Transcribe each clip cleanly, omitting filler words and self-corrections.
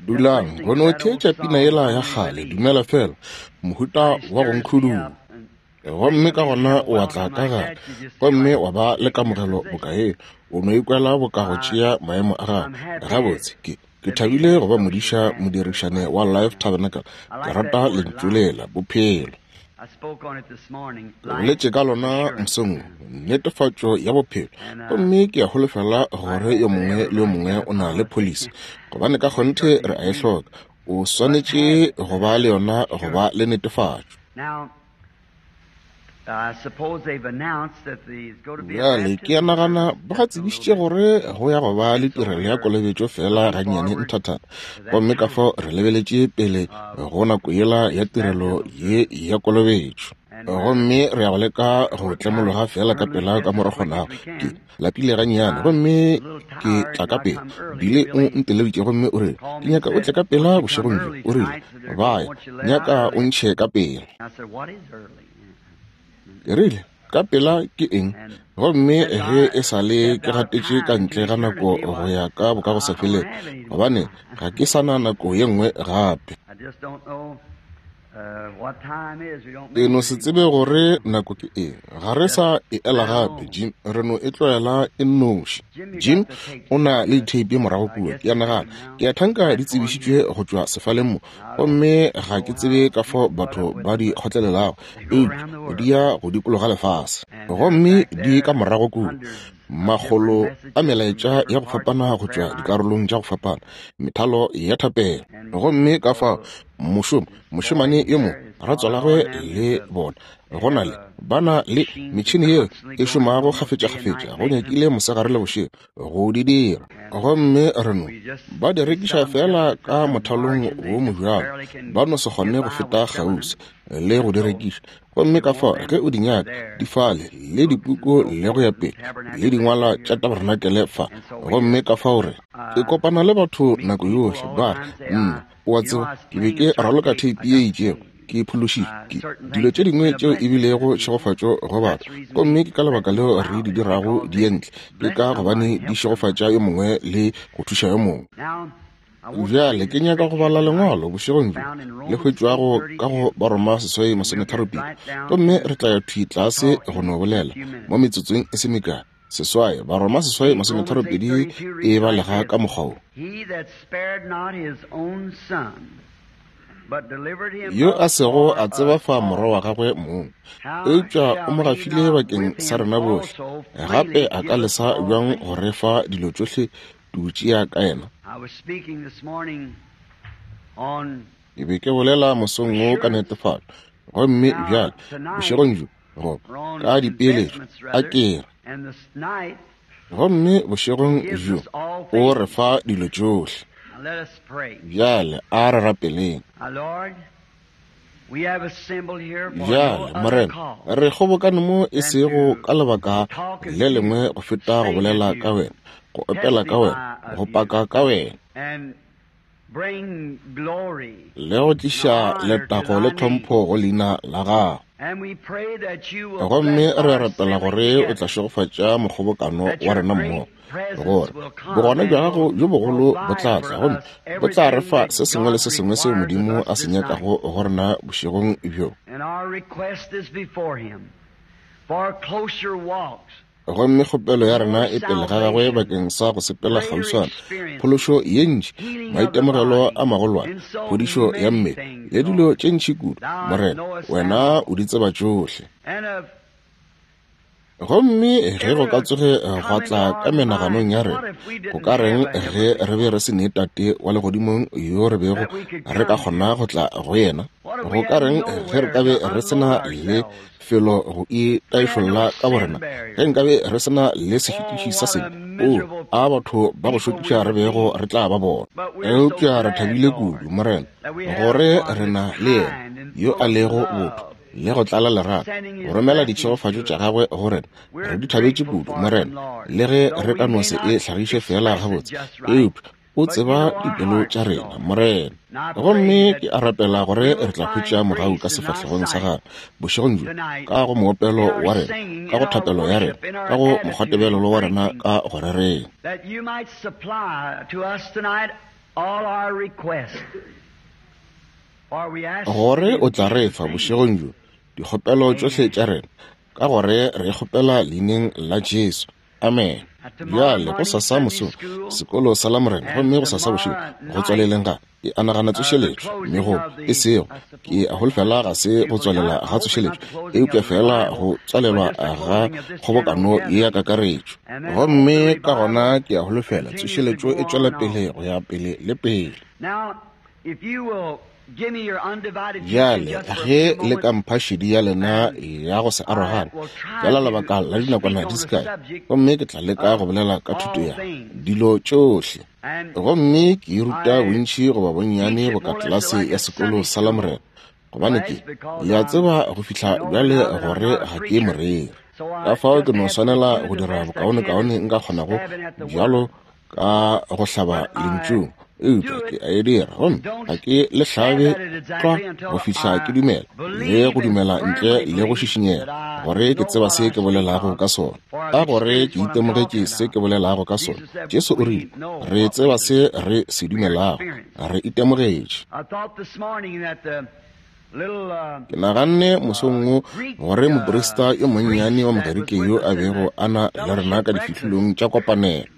Dulang go no theetša pina yela ya kgale, Dumela Fela, mohuta wa go nkhuduga. Gomme ka gona o a tla ka gare gomme wa ba le kamogelo boka ye, o no ikwela boka go tšea maemo a gago. Gabotse, ke, ke thabile go ba modiša modirišane wa Life Tabernacle. Ke rata lentšu lela, bophelo. Ke boletše ka lona mosong wo, netefatšo ya bophelo. Gomme ke a holofela gore yo mongwe le yo mongwe o na le pholisi, gobane ka kgonthe re a e hloka. O swanetše go ba le yona go ba le netefatšo. Bjale, ke a nagana ba ga tsebišitše gore go ya go ba le tirelo ya kolobetšo feela gannyane nthathana. Gomme ka fao re lebeletše pele go nako yela ya tirelo ye ya kolobetšo. Gomme re ya go leka go tlemologa feela ka pela ka mo re kgonago. Ke lapile gannyane, gomme ke tla ka pela. Billy o nteleditše gomme o rile, Ke nyaka o tle ka pela bošegong bjo. O rile, Ba ya nyaka o ntšhe ka pela. Ke rile, Ka pela ke eng? Gomme ge e sa le ke gatetše ka ntle ga nako go ya ka bokagosafelego, gobane ga ke sa na nako ye nngwe gape. Ke no se tsebe gore nako ke eng. Ga re sa e ela gape, Jim. Re no e tlwaela e nnoši. Jim o na le ditheipi morago kua, ke a nagana. Ke a thanka di tsebišitšwe go tšwa sefaleng mo. Gomme ga ke tsebe ka fao batho ba di kgotlelelago, eupša di ya go dikologa lefase. Gomme di ka morago kua, makgolo a melaetša ya go fapana go tšwa dikarolong tša go fapana, methalo ya thapelo. Gomme ka fao mošomo, mošemane yo mongwe, ratswalagwe le bona, go na le, ba na le metšhene yeo e šomago kgafetšakgafetša go nyakile mosegare le bošego go di dira. Gomme re no ba di rekiša feela ka mothalong wo mobjalo, ba no se kgone go feta kgauswi le go di rekiša. Gomme ka fao ge o di nyaka, di fale le dipuku le go ya pele, le dingwalwa tša tabarenakele fa. Gomme ka fao re, ke kopana le batho nako yohle, ba re, Nna, o a tseba, ke be ke raloka theipi ye itšego, ke phološitšwe ke dilo tše dingwe tšeo e bilego tšhegofatšo go batho. Gomme ke ka lebaka leo re di dirago di ye ntle, ke ka gobane di šegofatša yo mongwe le go thuša yo mongwe. Bjale ke nyaka go bala Lengwalo bošegong bjo, le hwetšwago ka go Baroma 8:32. Gomme re tla ya thwi tlase go no bolela mo metsotsong e se mekae. Seswai, Baroma 8:32 e balega ka mokgwa wo. Yo a sego a tsebafa morwa wa gagwe mong, eupša o mo gafile bakeng sa rena bohle, gape a ka lesa bjang go re fa dilo tšohle tu tšea ka yena? Ke be ke bolela mosong wo ka netefatšo, gomme bjale bošegong bjo goba ka dipeeletšo, a ke re. Gomme bošegong bjo o re fa dilo tšohle. Bjale a re rapeleng. Bjale, Morena, re kgobokane mo e sego ka lebaka le lengwe go feta go bolela ka Wena, go opela ka Wena, go paka ka Wena, le go tliša letago le tlhompho go Leina la Gago. Gomme re a rapela gore O tla šegofatša mokgobokano wa rena mmogo, gore bogona bja Gago bjo bogolo bo tla tla gomme bo tla re fa se sengwe le se sengwe seo Modimo a se nyakago go rena bošegong bjo. Gomme kgopelo ya rena e pele ga Gagwe bakeng sa go sepela kgauswana, phološo ye ntši, maitemogelo a magolwane, phodišo ya mmele, le dilo tše ntši kudu. Morena, Wena o di tseba tšohle. Gomme ge go ka tsoge gwa tla ka menaganong ya rena, go ka reng ge re be re se ne Tate wa Legodimong yo re bego re ka kgona go tla go yena? Go ka reng ge re ka be re se na le felo go itaišolla ka borena, ge nkabe re se na le sešitiši sa sebe? Oo, a batho ba go šokiša re bego re tla ba bona! Eupša re thabile kudu, Morena, gore re na le Yena yo a lego botho le go tlala lerato, go romela ditšhegofatšo tša gagwe go rena. Re di thabetše kudu, Morena, le ge re ka no se e hlagiše feela gabotse, eupša. O tseba dipelo tša rena, Morena. Gomme ke a rapela gore re tla hwetša mogau ka sefahlegong sa Gagwe bošegong bjo, ka go moopelo wa rena, ka go thapelo ya rena, ka go mokgwatebelelo wa rena ka go rereng. Gore o tla re fa bošegong bjo dikgopelo tšohle tša rena, ka gore re kgopela leineng la Jesu. Amen. Bjale, gosasa mosong, sekolo sa Lamorena, gomme gosasa bošego, go tswaleleng ga, ke a nagana tsošeletšo, mme go, e sego, ke a holofela ga se go tswalela ga tsošeletšo, eupša feela go tswalelwa ga kgobokano ye ya kakaretšo. Gomme ka gona ke a holofela tsošeletšo e tšwela pele go ya pele le pele. Bjale, ge le ka mpha šedi ya lena ya go se arogane, feela lebaka la dinakwana di se kae, gomme ke tla leka go bolela ka thuto ya dilo tšohle. Gomme ke e ruta bontši goba bonnyane boka tlelase ya sekolo sa Lamorena, gobane ke, le a tseba go fihla bjale gore ga ke moreri. Ka fao ke no swanela go dira bokaonekaone nka kgonago bjalo ka go hlaba lentšung, eupša ke a e dira, gomme ga ke le hlabe tlwa go fihla ke dumela le go dumela ntle le go šišinyega gore ke tseba se ke bolelago ka sona, ka gore ke itemogetše se ke bolelago ka sona. Jesu o rile, re tseba se re se dumelago, re itemogetše. Ke naganne mosong wo gore moprista yo monnyane wa Mogerike yo a bego a na le rena ka difihlolong tša kopanelo,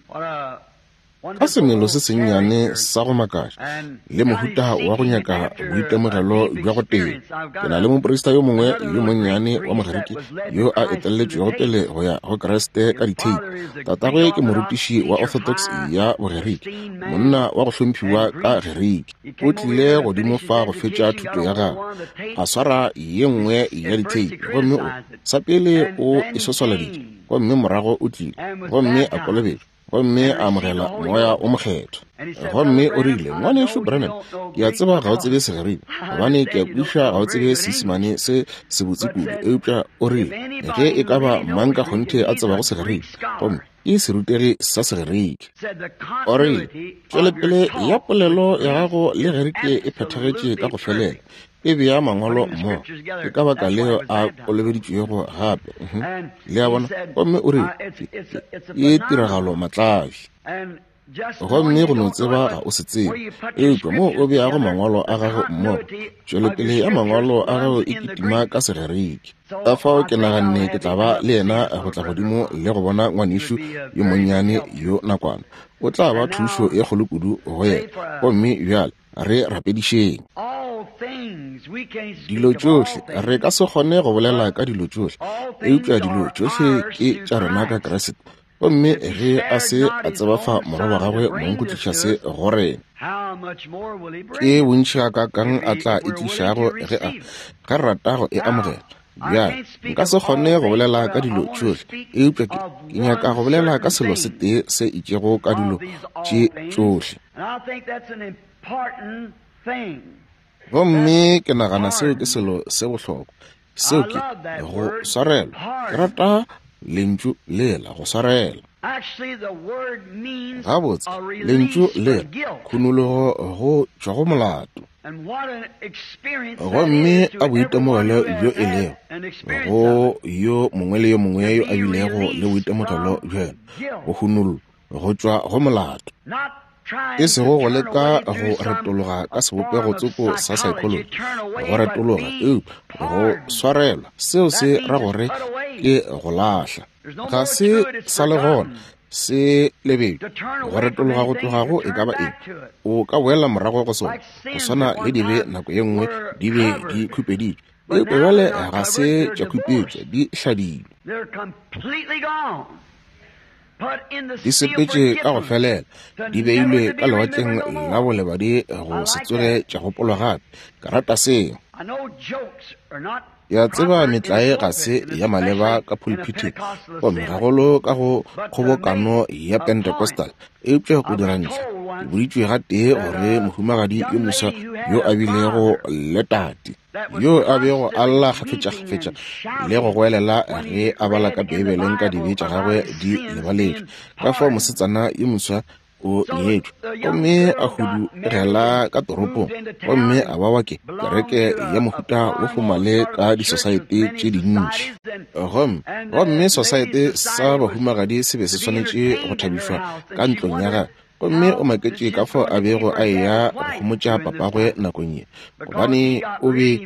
ka semelo se sennyane sa go makatša le mohuta wa go nyaka boitemogelo bja go teba. Ke na le moprista yo mongwe yo monnyane wa Mogerike yo a etelletšwego pele go ya go Kriste ka ditheipi. Tatagwe ke morutiši wa Orthodox ya Bogerike, monna wa go hlomphiwa ka Gerike. O tlile godimo fa go fetša thuto ya gagwe, a swara ye nngwe ya ditheipi, gomme o, sa pele o e swaswaladitše, gomme morago o tlile gomme a kolobetšwa, gomme a amogela Moya o Mokgethwa. Gomme o rile, Ngwanešu Branham, ke a tseba ga o tsebe Segerika, gobane ke a kwešiša ga o tsebe Seisemane se sebotse kudu, eupša o rile, ge e ka ba mang ka kgonthe a tsebago Segerika, gomme ke serutegi sa Segerike. O rile, Tšwelopele ya polelo ya gago le Gerike e phethagetše ka go felela, e bea mangwalo mmogo. Ke ka baka leo a kolobeditšwego gape. Le a bona? Gomme o rile, Ke tiragalo matlabi. Gomme go no tseba ga o se tsebe, eupša moo o beago mangwalo a gago mmogo, tšwelopele ya mangwalo a gago e kitima ka Segerike. Ka fao ke naganne ke tla ba le yena go tla godimo le go bona ngwanešu yo monnyane yo nakwana. O tla ba thušo e kgolo kudu go yena. Gomme bjale re rapedišeng. Dilo tšohle, re ka se kgone go bolela ka dilo tšohle, eupša dilo tšohle ke tša rena ka Kriste. Gomme ge a se a tseba fa morwa wa gagwe mong go tliša se go rena, ke bontši gakaakang a tla e tlišago ge a, ge re rata go e amogela. Bjale, nka se kgone go bolela ka dilo tšohle, eupša ke, ke nyaka go bolela ka selo se tee se itšego ka dilo tše tšohle. Gomme ke nagana seo ke selo se bohlokwa. Seo ke go swarelwa. Ke rata lentšu lela, go swarela. Gabotse, lentšu lela, khunologo go tšwa go molato. Gomme a boitemogelo bjo e lego go yo mongwe le yo mongwe yo a bilego le boitemogelo bjo yena, go hunollwa go tšwa go molato. E sego go leka go retologa ka sebopego tsoko sa psychology, go retologa, eupša go swarelwa, seo se ra gore ke go lahla. Ga se sa le gona, se lebetšwe. Go retologa go tloga go e ka ba eng, o ka boela morago go sona, go swana le dibe nako ye nngwe di be di khupeditšwe, eupša bjale ga se tša khupetšwa, di hladilwe. Di sepetše ka go felela, di beilwe ka lewatleng la bolebadi go se tsoge tša gopolwa gape. Ke rata seo. Ke a tseba metlae ga se ya maleba ka pulpithing, gomme gagolo ka go kgobokano ya Pentecostal, eupša go dira ntlha, ke boditšwe gatee gore mohumagadi yo moswa yo a bilego le tate, yo a bego a lla kgafetšakgafetša le go goelela ge a bala ka Beibeleng ka dibe tša gagwe di lebaletšwe, ka fao mosetsana yo moswa O nyetšwe gomme a hudugela ka toropong gomme a ba wa ke kereke ya mohuta wo fomale ka disosaete tše dintši. Gomme sosaete sa bahumagadi se be se swanetše go thabišwa ka ntlong ya gagwe. Gomme o maketše ka fao a bego a eya go homotša papagwe nakong ye, gobane o be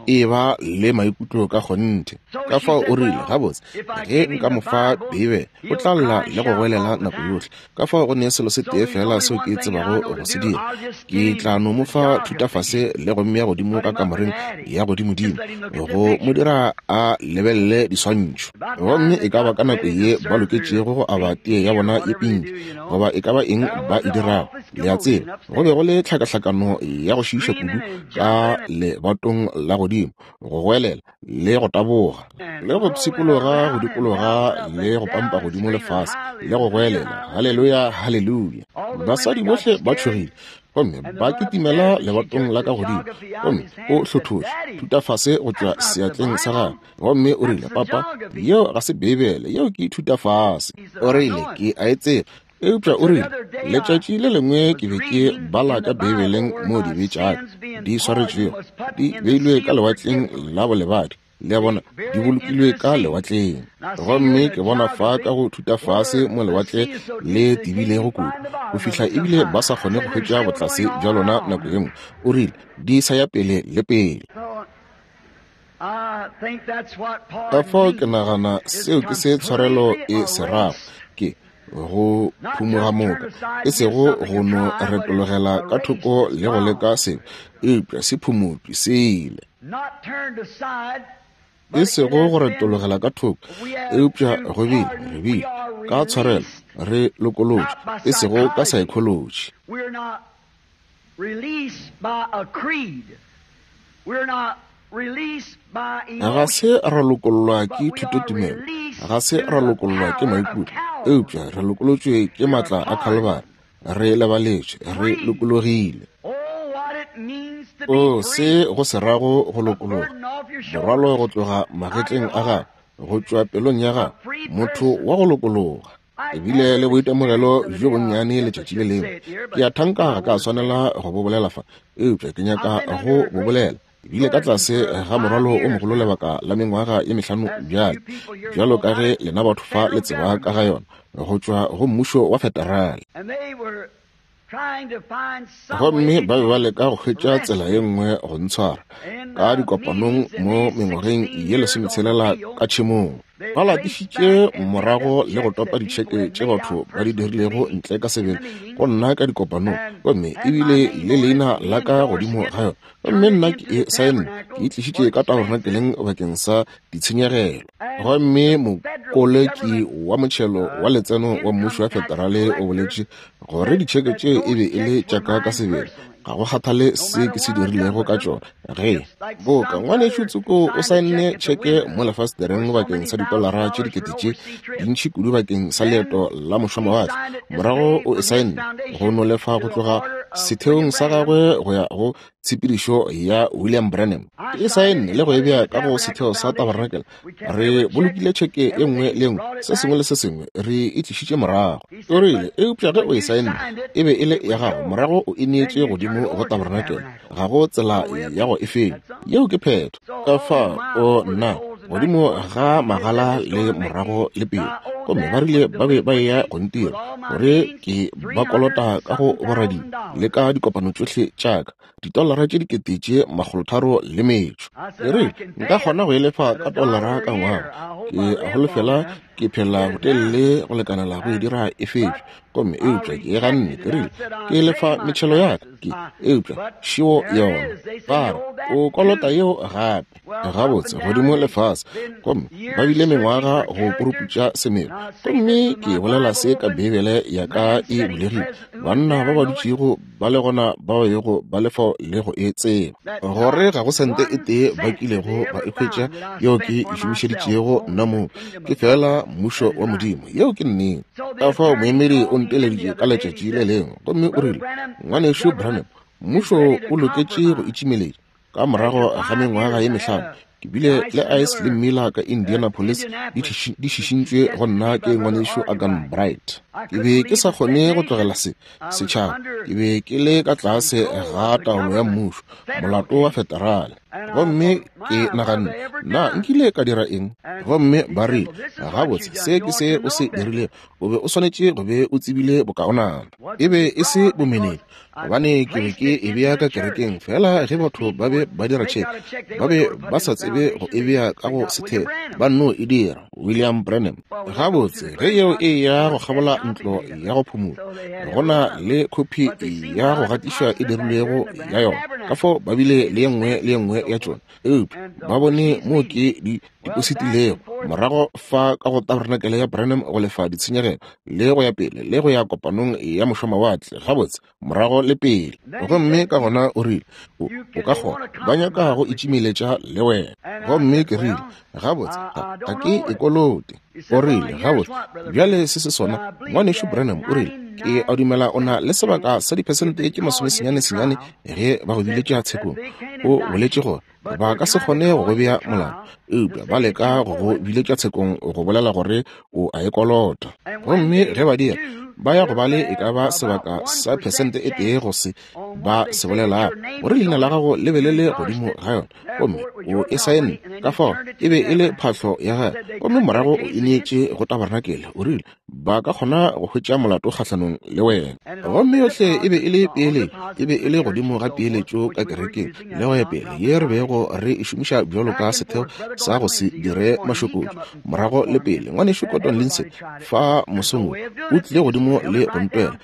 e ba le maikutlo ka kgonthe. Ka fao o rile, gabotse, ge nka mo fa Beibele, o tla lla le go goelela nako yohle. Ka fao go ne selo se tee fela seo ke tsebago go se dira, ke tla no mo fa thutafase le go mmea godimo ka kamoreng ya godimodimo, go mo dira a lebelele diswantšho. Gomme e ka ba ka nako ye ba loketšego go aba tee ya bona ye pinki, goba e ka ba eng ba e dirago, le a tseba, go be go le tlhakahlakano ya go šiiša kudu ka lebatong la godimo, go goelela le go taboga le go pshikologa go dikologa le go pampa godimo lefase le go goelela haleluya, haleluya. Basadi bohle ba tšhogile gomme ba kitimela lebatong la ka godimo, gomme o hlothotše thutafase go tšwa seatleng sa gagwe, gomme o rile, Papa, yeo ga se Beibele, yeo ke thutafase. O rile, ke a e tseba. Eupša o rile, letšatši le lengwe ke be ke bala ka Beibeleng moo dibe tša ka di swaretšwego, di beilwe ka lewatleng la bolebadi, le a bona, di bolokilwe ka lewatleng. Gomme ke bona fa ka go thutafase mo lewatle le tebilego kudu, go fihla ebile ba sa kgone go hwetša botlase bja lona nako ye nngwe. O rile, di sa ya pele le pele. Ka fao ke nagana seo ke se tshwarelo e se rago, ke go phumoga moka, e sego go no retologela ka thoko le go leka sebe, eupša se phumotšwe se ile. E sego go retologela ka thoko, eupša go bile, re bile ka tshwarelo, re lokolotšwe, e sego ka saekholoji. Ga se ra lokollwa ke thutotumelo, ga se ra lokollwa ke maikutlo, eupša re lokolotšwe ke matla a Khalibari, re lebaletšwe, re lokologile. O se go se rago go lokologa, morwalo go tloga magetleng a gago, go tšwa pelong ya gago, motho wa go lokologa. Ebile le boitemogelo bjo bonnyane letšatši le lengwe. Ke a thanka ga ka swanela go bo bolela fa, eupša ke nyaka go bo bolela. Ebile ka tlase ga morwalo o mogolo lebaka la mengwaga ye mehlano bjale, bjalo ka ge lena batho fa le tseba ka ga yona, go tšwa go mmušo wa federale. Gomme ba be ba leka go hwetša tsela ye nngwe go ntshwara ka dikopanong mo mengwageng ye 16 ka tšhemong. Ba latišitše morago le go topa ditšheke tše batho ba di dirilego ntle ka sebele go nna ka dikopanong, gomme ebile le leina la ka godimo ga yona. Gomme nna ke e saenne, ke e tlišitše ka tabernakeleng bakeng sa ditshenyegelo. Gomme mokoleki wa motšhelo wa letseno wa mmušo wa federale o boletše gore ditšheke tše e be e le tša ka ka sebele, ga go kgathale se ke se dirilego ka tšona. Ge boka ngwanešu Tsoko o saenne tšheke mo lefastereng bakeng sa ditolara tše dikete tše dintši kudu bakeng sa leeto la mošomawatle, morago o e saenne go no lefa go tloga setheong sa gagwe go ya go tshepedišo ya William Branham. Ke e saenne le go e bea ka go setheo sa tabernakel. Re bolokile tšheke e nngwe le nngwe, se sengwe le se sengwe, re e tlišitše morago. O rile, eupša ge o e saenne, e be e le ya gago, morago o e neetše godimo go tabernakel. Ga go tsela ya go e fenya. Yeo ke phetho. Ka fa o nna godimo ga magala le morago le pele. Gomme ba rile ba be ba eya go ntira gore ke ba kolota ka go borading le ka dikopano tšohle tša ka, ditolara tše 330 le metšo. Ke rile, nka kgona go e lefa ka tolara ka ngwaga. Ke a holofela ke phela botelele go lekanela go e dira e fetšwe. Gomme eupša ke e ganne, ke rile, ke lefa metšhelo ya ka, ke eupša šeo yona. Ba re, o kolota yeo gape. Gabotse, godimo le fase, gomme ba bile mengwaga go puruputša semelo. Gomme ke bolela se ka Beibele ya ka e bulegile, banna ba ba dutšego ba le gona ba bego ba le fao le go e tseba, gore ga go sente e tee ba kilego ba e hwetša yeo ke e šomišeditšego nna mong, ke feela mmušo wa Modimo. Yeo ke nnete. Ka fao moemedi o nteleditše ka letšatši le lengwe, gomme o rile, Ngwanešu Branham, mmušo o loketše go itšimeletša ka morago ga mengwaga ye mehlano. Ke bile le Ice le Miller ka Indianapolis di šišintšwe go nna ke ngwanešu Agan Bright. Ke be ke sa kgone go tlogela se setšhaba. Ke be ke le ka tlase ga taolo ya mmušo, molato wa federale. Gomme ke naganne, na nkile ka dira eng? Gomme ba rile, gabotse, se ke se o se dirilego. O be o swanetše go be o tsebile bokaonana. E be e se bomenetša, gobane ke be ke e bea ka kerekeng fela ge batho ba be ba dira tšheke, ba be ba sa tsebe go e bea ka go setheo, ba nno e dira. William Branham. Gabotse, ge yeo e ya go kgabola ntlo ya go phumola, go na le khophi ya go gatišwa e dirilwego ya yona. Ka fao ba bile le ye nngwe le ye nngwe ya tšona, eupša ba bone moo ke di depositilego morago fa ka go tabernacle ya Branham go lefa ditshenyegelo le go ya pele le go ya kopanong ya mošomawatle, gabotse, morago le pele. Gomme ka gona o rile, o, o ka kgona, ba nyaka go itšimeletša le wena. Gomme ke rile, gabotse, ga, ga ke e kolote. O rile, gabotse, bjale se se sona, Ngwanešu Branham, o rile, ke a dumela o na le sebaka sa diphesente tše masomesenyane-senyane ge ba go biletša tshekong. O boletše gore ba ka se kgone go go bea molato, eupša ba leka go go biletša tshekong go bolela gore o a e kolota. Gomme ge ba dira, ba ya go ba le e ka ba sebaka sa phesente e tee go se ba se bolelago, gore leina la gago le be le le godimo ga yona, gomme o e saenne. Ka fao e be e le phahlo ya gagwe, gomme morago o ineetše go tabarenakele. O rile, ba ka kgona go hwetša molato kgahlanong le wena. Gomme yohle e be e le peeletšo, e be e le godimo ga peeletšo ka kerekeng le go ya pele, ye re bego re e šomiša bjalo ka setheo sa go se dire mašokotšo morago le pele. Ngwanešu Cotton Lindsay fa mosong wo o tlile godimo le go ntwela,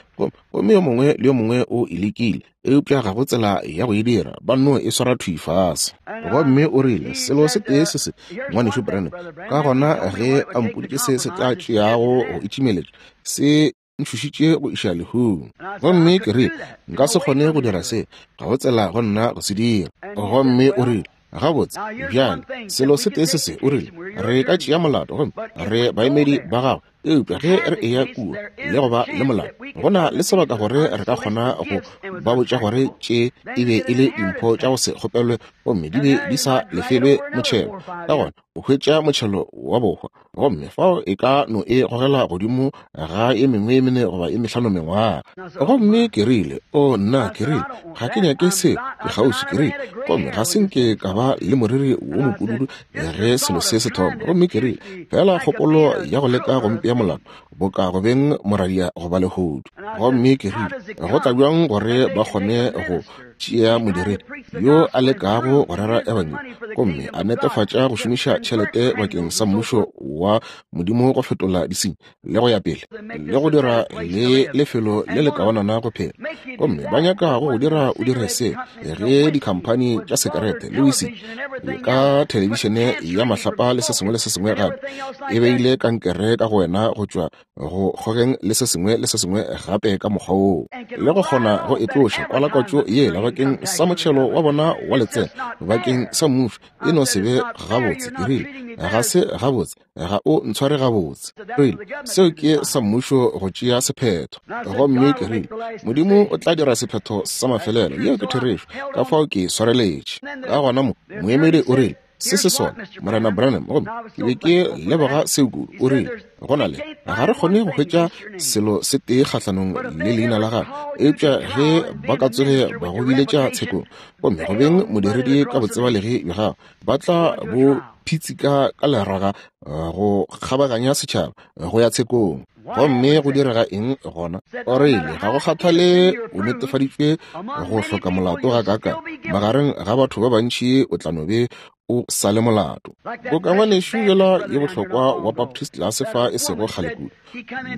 gomme yo mongwe le yo mongwe o e lekile, eupša ga go tsela ya go e dira, ba nno e swara thwi fase. Gomme o rile, selo se tee se se, Ngwanešu Branham, ka gona ge a mpoditše se se tla tšeago go itšimeletša, se ntšhošitše go iša lehung. Gomme ke rile, nka se kgone go dira se, ga go tsela go nna go se dira. Gomme o rile, gabotse, bjale, selo se tee se se, o rile, re ka tšea molato gomme re baemedi ba gago, Eupša ge re eya kua le go ba le molao, go na le sebaka gore re ka kgona go ba botša gore tše e be e le dimpho tša go se kgopelwe gomme di be di sa lefelwe motšhelo. Ka gona o hwetša motšhelo wa bohwa, gomme fao e ka no e gogela godimo ga e mengwe e mene goba e mehlano mengwaga. Gomme ke rile, O nna, ke rile, ga ke nyake seo, ke kgauswi, ke rile, gomme ga se nke ka ba le moriri wo mopududu ge selo se se thoma. Gomme ke rile, Fela kgopolo ya go leka go mpea molato, boka go beng moradia goba lehodu. Gomme ke rile, Go tla bjang gore ba kgone go tšea modiredi yo a lekago go rera ebangedi gomme a netefatša go šomiša tšhelete bakeng sa mmušo wa Modimo go fetola disenyi le go ya pele le go dira le lefelo le le kaonana go phela, gomme ba nyaka go go dira o dire se ge dikhamphani tša sekerete le wisi ka thelebišene ya mahlapa le se sengwe le se sengwe gape e beile kankere ka go wena go tšwa go kgogeng le se sengwe le se sengwe gape ka mokgwa woo, le go kgona go e tloša kwalakwatšo yela bakeng sa motšhelo wa bona wa letseno bakeng sa mmušo e no se be gabotse. Ke rile, Ga se gabotse, ga o ntshware gabotse. Rile, Seo ke sa mmušo go tšea sephetho. Gomme ke rile, Modimo o tla dira sephetho sa mafelelo. Yeo ke therešo. Ka fao ke swareletše. Ka gona mo, moemedi o rile, Se se sona, Morena Branham. Gomme ke be ke leboga seo kudu. O rile, Go na le, ga re kgone go hwetša selo se tee kgahlanong le leina la gago, eupša ge ba ka tsoge ba go biletša tshekong, gomme go beng modiredi ka botsebalegi bja gago, ba tla bo phitsika ka leraga go kgabaganya setšhaba go ya tshekong. Gomme go direga eng gona? O rile, ga go kgathale o netefaditšwe go hloka molato gakaakang, magareng ga batho ba bantši o tla no be o sa le molato. Boka ngwanešu yola yo bohlokwa wa Baptist tlase fa e sego kgale kudu,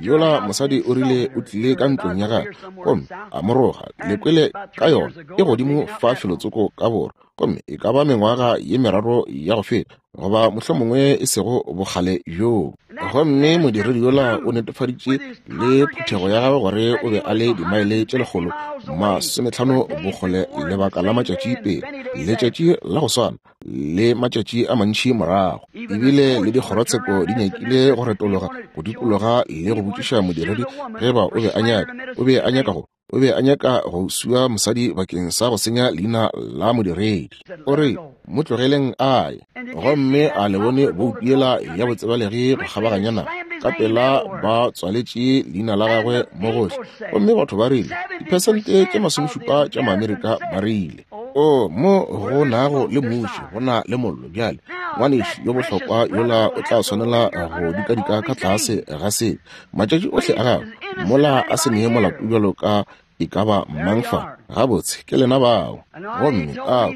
yola mosadi o rile o tlile ka ntlong ya gagwe gomme a mo roga, le kwele ka yona, e godimo fa felotsoko ka borwa, gomme e ka ba mengwaga ye meraro ya go feta, goba mohlomongwe e sego bokgale bjoo. Gomme modiredi yola o netefaditše le phuthego ya gagwe gore o be a le dimaele tše 150 bokgole lebaka la matšatši pele, letšatši la go swana le matšatši a mantši morago. Ebile le dikgorotsheko di nyakile go retologa go dikologa le go botšiša modiredi ge ba o be a nyaka, o be a nyaka go. O be a nyaka go sua mosadi bakeng sa go senya leina la modiredi. O re, Mo tlogeleng a ye. Gomme a le bone boutu yela ya botsebalegi go kgabaganya naga. Ka pela ba tswaletše leina la gagwe mo gohle. Gomme batho ba rile, diphesente tše masomešupa tša Maamerika ba rile, O mo go nago le muši, go na le mollo. Bjale, ngwanešu yo bohlokwa yola o tla swanela go dikadika ka tlase ga se matšatši ohle a gagwe, mola a se nee molato bjalo ka e ka ba mang fa. Gabotse, ke lena bao. Gomme a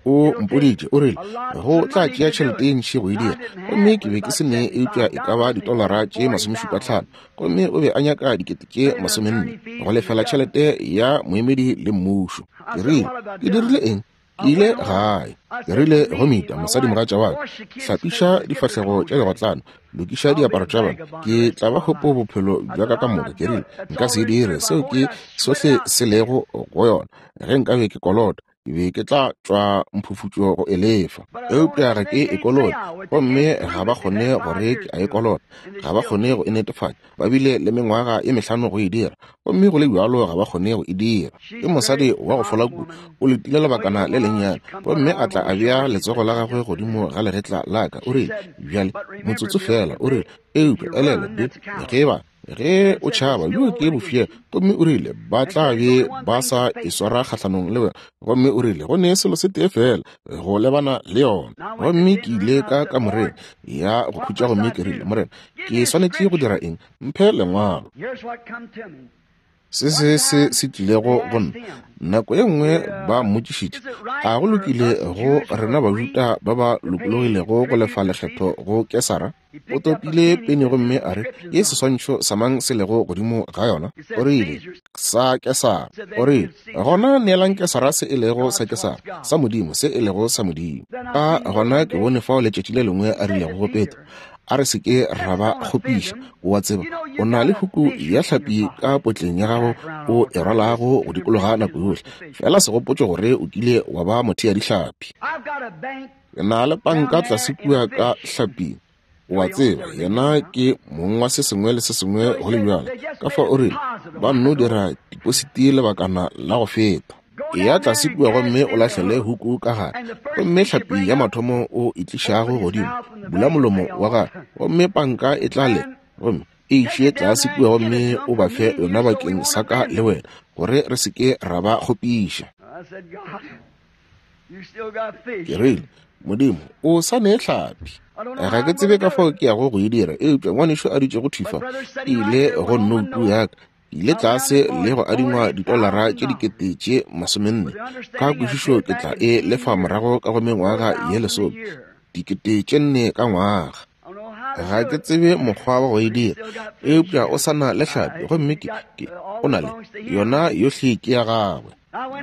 o mpoditše, o rile, go tla tšea tšhelete ye ntši go e dira. Gomme ke be ke se ne eupša e ka ba ditolara tše masomešupa tlhano. Gomme o be a nyaka dikete tše masomenne go lefela tšhelete ya moemedi le mmušo. Ke rile, Ke dirile eng? Ke ile gae. Ke rile go Mita, mosadimogatša wa ka, hlapiša difahlego tša digotlane, lokiša diaparo tša bona. Ke tla ba kgopo bophelo bja ka ka moka. Ke rile, Nka se e dire. Seo ke sohle se lego go yona. Ge nkabe ke kolota, ke be ke tla tšwa mphufutšo go e lefa. Eupša ga ke e kolote, gomme ga ba kgone gore ke a e kolota. Ga ba kgone go e netefatša. Ba bile le mengwaga ye mehlano go e dira, gomme go le bjalo ga ba kgone go e dira. Ke mosadi wa go fola kudu. O letile lebakana le lennyane, gomme a tla a bea letsogo la gagwe godimo ga legetla la ka. O rile, Bjale, motsotso feela. O rile, Eupša elelwa, Bill, ge ba, ge o tšhaba, bjo ke bofyela. Gomme o rile, Ba tla be ba sa e swara kgahlanong le wena. Gomme o rile, Go ne selo se tee feela go lebana le yona. Gomme ke ile ka kamoreng ya go khutša gomme ke rile, Morena, ke swanetše go dira eng? Mphe lengwalo. Se se se se tlilego go nna. Nako ye nngwe ba mmotšišitše, a go lokile go rena Bajuda ba ba lokologilego go lefa lekgetho go Kesara? O topile peni gomme a re, Ke seswantšho sa mang se lego godimo ga yona? O rile, Sa Kesara. O rile, Gona neelang Kesara se e lego sa Kesara, sa Modimo se e lego sa Modimo. Ka gona ke bone fao letšatši le lengwe a rilego go Petro, A re se ke ra ba kgopiša. O a tseba, o na le huku ya hlapi ka potleng ya gago o e rwalago go dikologa nako yohle. Fela segopotšo gore o kile wa ba mothea-dihlapi. Ke na le panka tlase kua ka hlaping. O a tseba, yena ke mong wa se sengwe le se sengwe go le bjalo. Ka fao o rile, ba nno dira tipositi lebakana la go feta. Eya tlase kua gomme o lahlele huku ka gare, gomme hlapi ya mathomo o e tlišago godimo, bula molomo wa gagwe, gomme panka e tla le, gomme e iše tlase kua gomme o ba fe yona bakeng sa ka le wena, gore re se ke ra ba kgopiša. Ke rile, Modimo, o sa ne hlapi. Ga ke tsebe ka fao ke yago go e dira, eupša ngwanešu a dutšego thwi fa, e ile go nnoutu ya ka. Ke ile tlase le go adingwa ditolara tše dikete tše masomenne. Ka kwešišo ke tla e lefa morago ka go mengwaga ye lesome, dikete tše nne ka ngwaga. Ga ke tsebe mokgwa wa go e dira, eupša o sa na le hlapi, gomme ke, ke, o na le, yona yohle ke ya gagwe.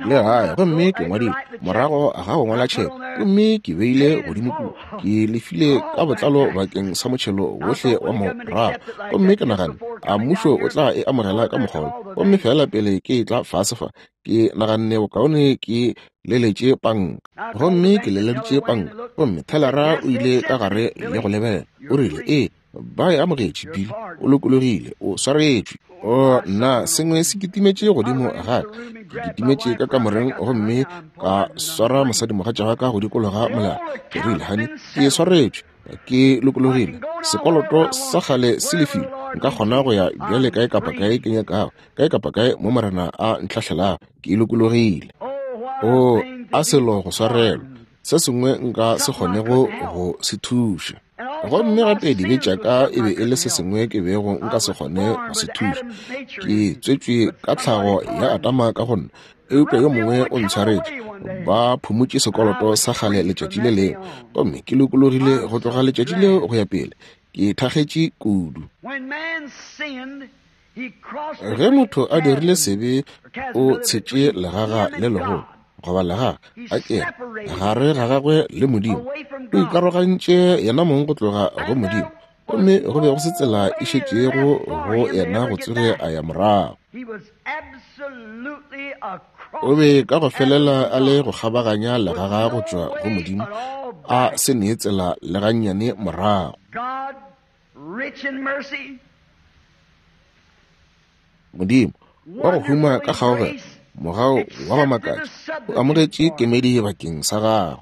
Le gae, gomme ke ngwadile morago ga go ngwala tšheke, gomme ke beile godimo kua, ke lefile ka botlalo bakeng sa motšhelo wohle wa morago. Gomme ke naganne, a mmušo o tla e amogela ka mokgwa wo? Gomme feela pele ke etla fase fa, ke naganne bokaone ke leletše panka. Gomme ke leleditše panka, gomme thelara o ile ka gare le go lebelela. O rile, Ee, ba e amogetše, Bill. O lokologile. O swaretšwe. O, nna, sengwe se kitimetše godimo ga ka. Ke kitimetše ka kamoreng gomme ka swara mosadimogatša wa ka go dikologa molala. Ke rile, Honey, ke swaretšwe. Ke lokologile. Sekoloto sa kgale se lefilwe. Nka kgona go ya bjale kae kapa kae ke nyakago, kae kapa kae mo Morena a ntlhahlelago. Ke lokologile. O, a selo go swarelwa, se sengwe nka se kgonego go se thuša. Gomme gape dibe tša ka e be e le se sengwe ke bego nka se kgone go se thuša. Ke tswetšwe ka tlhago ya Adama ka go nna, eupša yo mongwe o ntshwaretše. Ba phumotše sekoloto sa kgale letšatši le lengwe, gomme ke lokologile go tloga letšatši leo go ya pele. Ke thakgetše kudu. Ge motho a dirile sebe, o tshetše legaga le legolo, goba legaga, a ke re, gare ga gagwe le Modimo. O ikarogantše yena mong go tloga go Modimo, gomme go be go se tsela e šetšego go yena go tsoge a ya morago. O be ka go felela a le go kgabaganya legaga go tšwa go Modimo, a se nee tsela le gannyane morago. Modimo, wa go huma ka kgaogelo, mogau wa go makatša, o amogetše kemedi bakeng sa gagwe.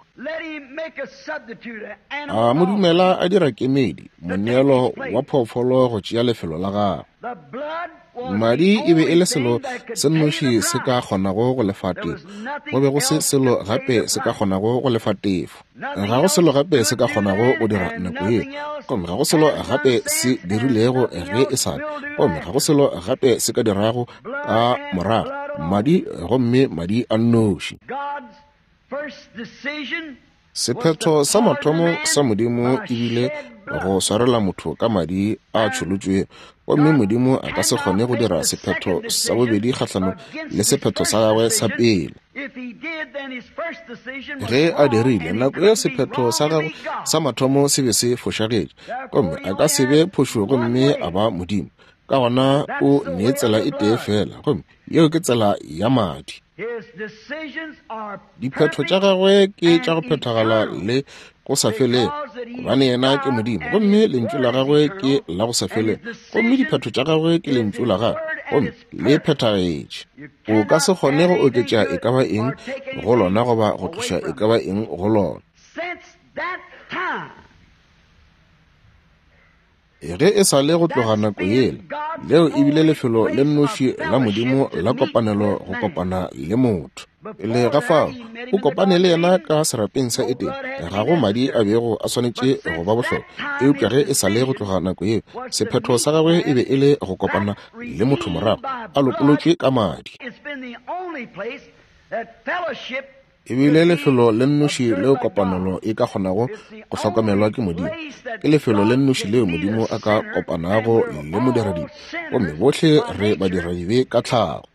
A mo dumela a dira kemedi, moneelo wa phoofolo go tšea lefelo la gagwe. Madi e be e le selo se nnoši se ka kgonago go lefa tefo. Go be go se selo gape se ka kgonago go lefa tefo. Ga go selo gape se ka kgonago go dira nako yeo. Gomme ga go selo gape se dirilego ge e sa le. Gomme ga go selo gape se ka dirago ka morago. Madi, gomme madi a nnoši. Sephetho sa mathomo sa Modimo e bile go swarela motho ka madi a tšholotšwego, gomme Modimo a ka se kgone go dira sephetho sa bobedi kgahlanong le sephetho sa gagwe sa pele. Ge a dirile, nako ye sephetho sa gagwe sa mathomo se be se fošagetše, gomme a ka se be phošo gomme a ba Modimo. Ka gona o nee tsela e tee feela, gomme yeo ke tsela ya madi. Diphetho tša gagwe ke tša go phethagala le go sa felego, gobane yena ke Modimo, gomme lentšu la gagwe ke la go sa felego, gomme diphetho tša gagwe ke lentšu la gagwe, gomme le phethagetše. O ka se kgone go oketša e ka ba eng go lona goba go tloša e ka ba eng go lona. Ge e sa le go tloga nako yela, leo e bile lefelo le nnoši la Modimo la kopanelo go kopana le motho. Pele ga fao, o kopane le yena ka serapeng sa Edene, ga go madi a bego a swanetše go ba bohlokwa. Eupša ge e sa le go tloga nako yeo, sephetho sa gagwe e be e le go kopana le motho morago, a lopolotšwe ka madi. E bile lefelo le nnoši leo kopanelo e ka kgonago go hlokomelwa ke Modimo. Ke lefelo le nnoši leo Modimo a ka kopanago le modiradibe, gomme bohle re badiradibe ka tlhago.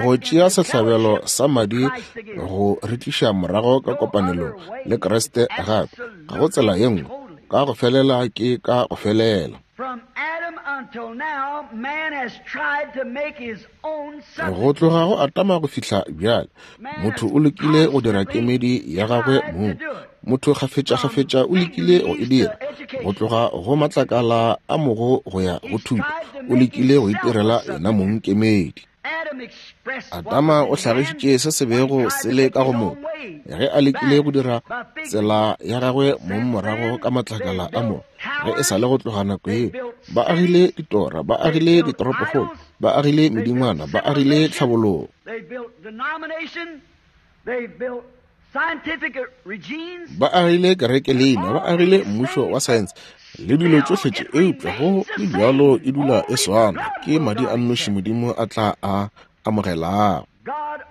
Go tšea sehlabelo sa madi go re tliša morago ka kopanelong le Kriste gape, ga go tsela ye nngwe, ka go felela ke ka go felela. Go tloga go Adama go fihla bjale, motho o lekile go dira kemedi ya gagwe mong. Motho kgafetšakgafetša o lekile go e dira. Go tloga go matlakala a mogo go ya go thuto, o lekile go itirela yena mong kemedi. Adama o hlagišitše se se bego se le ka go motho ge a lekile go dira tsela ya gagwe mong morago ka matlakala a mogo. Ge e sa le go tloga nako yeo, ba agile ditora, ba agile ditoropokgolo, ba agile medingwana, ba agile tlhabologo, ba agile kerekeleina, ba agile mmušo wa saense le dilo tšohle tše, eupša go le bjalo e dula e swana, ke madi a nnoši Modimo a tla a amogelago.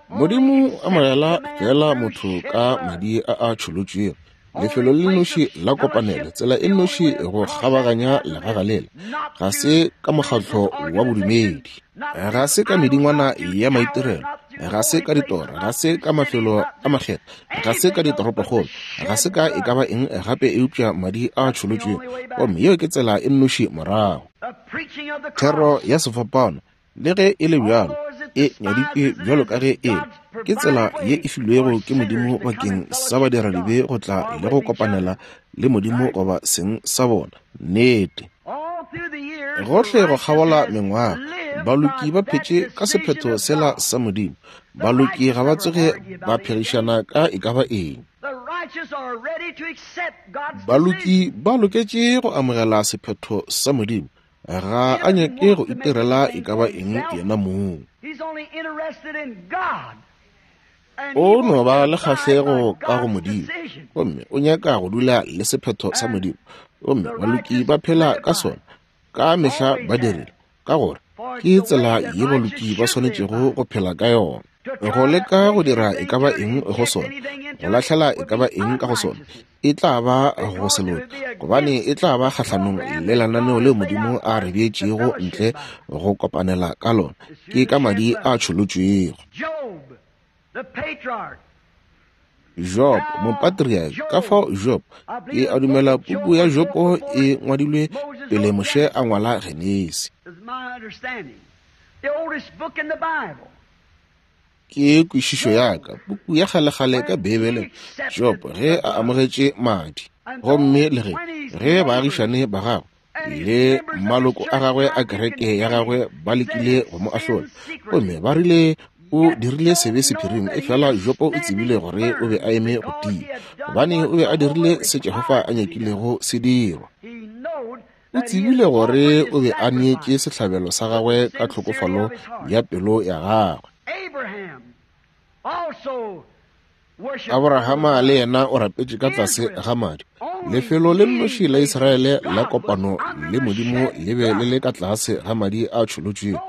Modimo o amogela feela motho ka madi a a tšholotšwego. Lefelo le nnoši la kopanelo, tsela e nnoši go kgabaganya legaga lela, ga se ka mokgatlo wa bodumedi, ga se ka medingwana ya maitirelo, ga se ka ditora, ga se ka mafelo a makgethwa, ga se ka ditoropokgolo, ga se ka e ka ba eng gape eupša madi a tšholotšwego. Gomme yeo ke tsela e nnoši morago. Thero ya sefapano, le ge e le bjalo, e nyaditšwe bjalo ka ge e le, ke tsela ye e filwego ke Modimo bakeng sa badiradibe go tla le go kopanela le Modimo goba seng sa bona. Nnete. Gohle go kgabola mengwaga, baloki ba phetše ka sephetho sela sa Modimo. Baloki ga ba tsoge ba phegišana ka e ka ba eng. Baloki ba loketše go amogela sephetho sa Modimo. Ga a nyake go itirela e ka ba eng yena mong. O no ba le kgahlego ka go Modimo, gomme o nyaka go dula le sephetho sa Modimo, gomme baloki ba phela ka sona, ka mehla ba dirile, ka gore ke tsela ye baloki ba swanetšego go phela ka yona. Go leka go dira e ka ba eng go sona, go lahlela e ka ba eng ka go sona, e tla ba go se loke, gobane e tla ba kgahlanong le lenaneo leo Modimo a re beetšego ntle go kopanela ka lona, ke ka madi a tšholotšwego. Job, mopatriarch, ka fao Job, ke a dumela puku ya Jobo e ngwadilwe pele Moshe a ngwala Genesi. Ke kwešišo ya ka, puku ya kgalekgale ka Beibeleng, Job ge a amogetše madi, gomme le ge, ge baagišane ba gagwe Le maloko a gagwe a kereke ya gagwe ba lekile go mo ahlola, gomme ba rile o dirile sebe sephiring. Efela Jopo o tsebile gore o be a eme go tia, gobane o be a dirile se Jehofa a nyakilego se dirwa. O tsebile gore o be a neetše sehlabelo sa gagwe ka tlhokofalo ya pelo ya gagwe. Aborahama le yena o rapetše ka tlase ga madi. Lefelo le nnoši la Israele la kopano le Modimo le be le le ka tlase ga madi a tšholotšwego.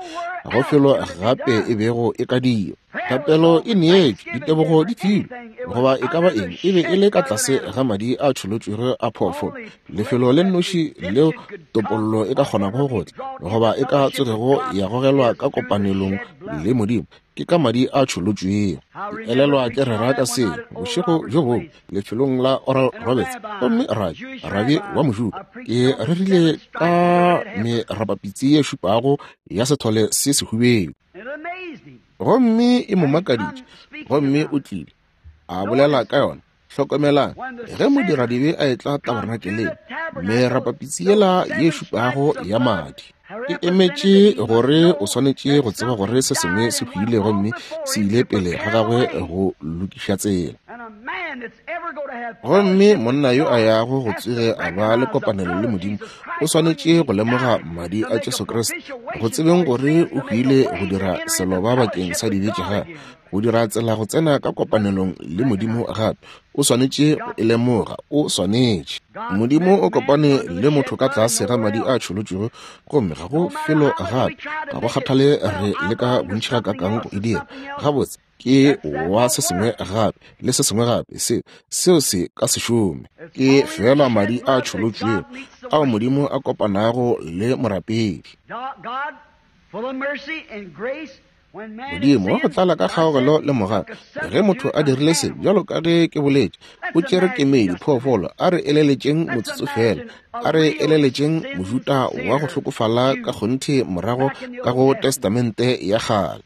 Ga go felo gape e bego e ka dirwa. Thapelo e neetšwe, ditebogo di filwe, goba e ka ba eng, e be e le ka tlase ga madi a tšholotšwego a phoofolo. Lefelo le nnoši leo topollo e ka kgonago go tla, goba e ka tsogego ya gogelwa ka kopanelong le Modimo, ke ka madi a tšholotšwego. Ke elelwa ke rera ka seo bošego bjo bongwe lefelong la Oral Roberts, gomme rabi, rabi wa Mojuda, ke rerile ka merapapitsi ye šupago ya sethole se sehubedu, gomme e mo makaditše, gomme o tlile a bolela ka yona. Hlokomelang, ge modiradibe a etla tabernakeleng, merapapitsi yela ye šupago ya madi e emetše gore o swanetše go tseba gore se sengwe se hwile gomme se ile pele ga gagwe go lokiša tsela. Gomme monna yo a yago go tsoge a ba le kopanelo le Modimo o swanetše go lemoga madi a Jesu Kriste, go tsebeng gore o hwile go dira seloba bakeng sa dibe tša gagwe, go dira tsela go tsena ka kopanelong le Modimo gape. O swanetše go e lemoga, o swanetše. Modimo o kopane le motho ka tlase ga madi a tšholotšwego, gomme ga go felo gape, ga go kgathale re leka bontši gakaakang go e dira. Gabotse, ke wa se sengwe gape le se sengwe gape, se seo se ka se šome. Ke feela madi a tšholotšwego ao Modimo a kopanago le morapedi. Modimo wa go tlala ka kgaogelo le mogau, ge motho a dirile se, bjalo ka ge ke boletše, o tšere kemedi phoofolo. A re eleletšeng motsotso feela, a re eleletšeng Mojuda wa go hlokofala ka kgonthe morago ka go Testamente ya Kgale.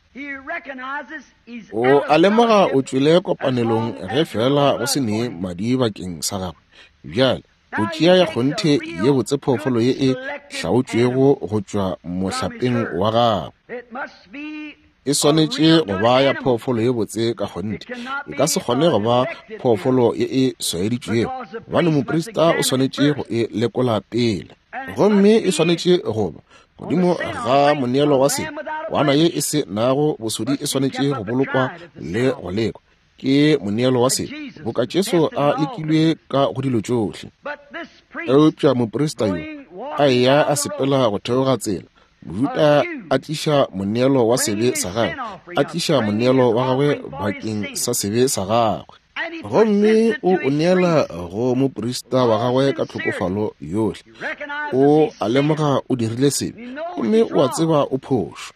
O a lemoga o tšwele kopanelong ge feela go se ne madi bakeng sa gagwe. Bjale o tšea ya kgonthe ye botse phoofolo ye e hlaotšwego go tšwa mohlapeng wa gagwe. E swanetše go ba ya phoofolo ye botse ka kgonthe. E ka se kgone go ba phoofolo ye e swaeditšwego, gobane moprista o swanetše go e lekola pele. Gomme e swanetše go ba godimo ga moneelo wa se kwana ye e se nago bosodi e swanetše go bolokwa le go lekwa ke moneelo wa se, boka Jesu a lekilwe ka go dilo tšohle. Eupša moprista yo a eya a sepela go theoga tsela, Mojuda a tliša moneelo wa sebe sa gagwe, a tliša moneelo wa gagwe bakeng sa sebe sa gagwe, gomme o o neela go moprista wa gagwe ka tlhokofalo yohle. O a lemoga o dirile sebe, gomme o a tseba o phošo.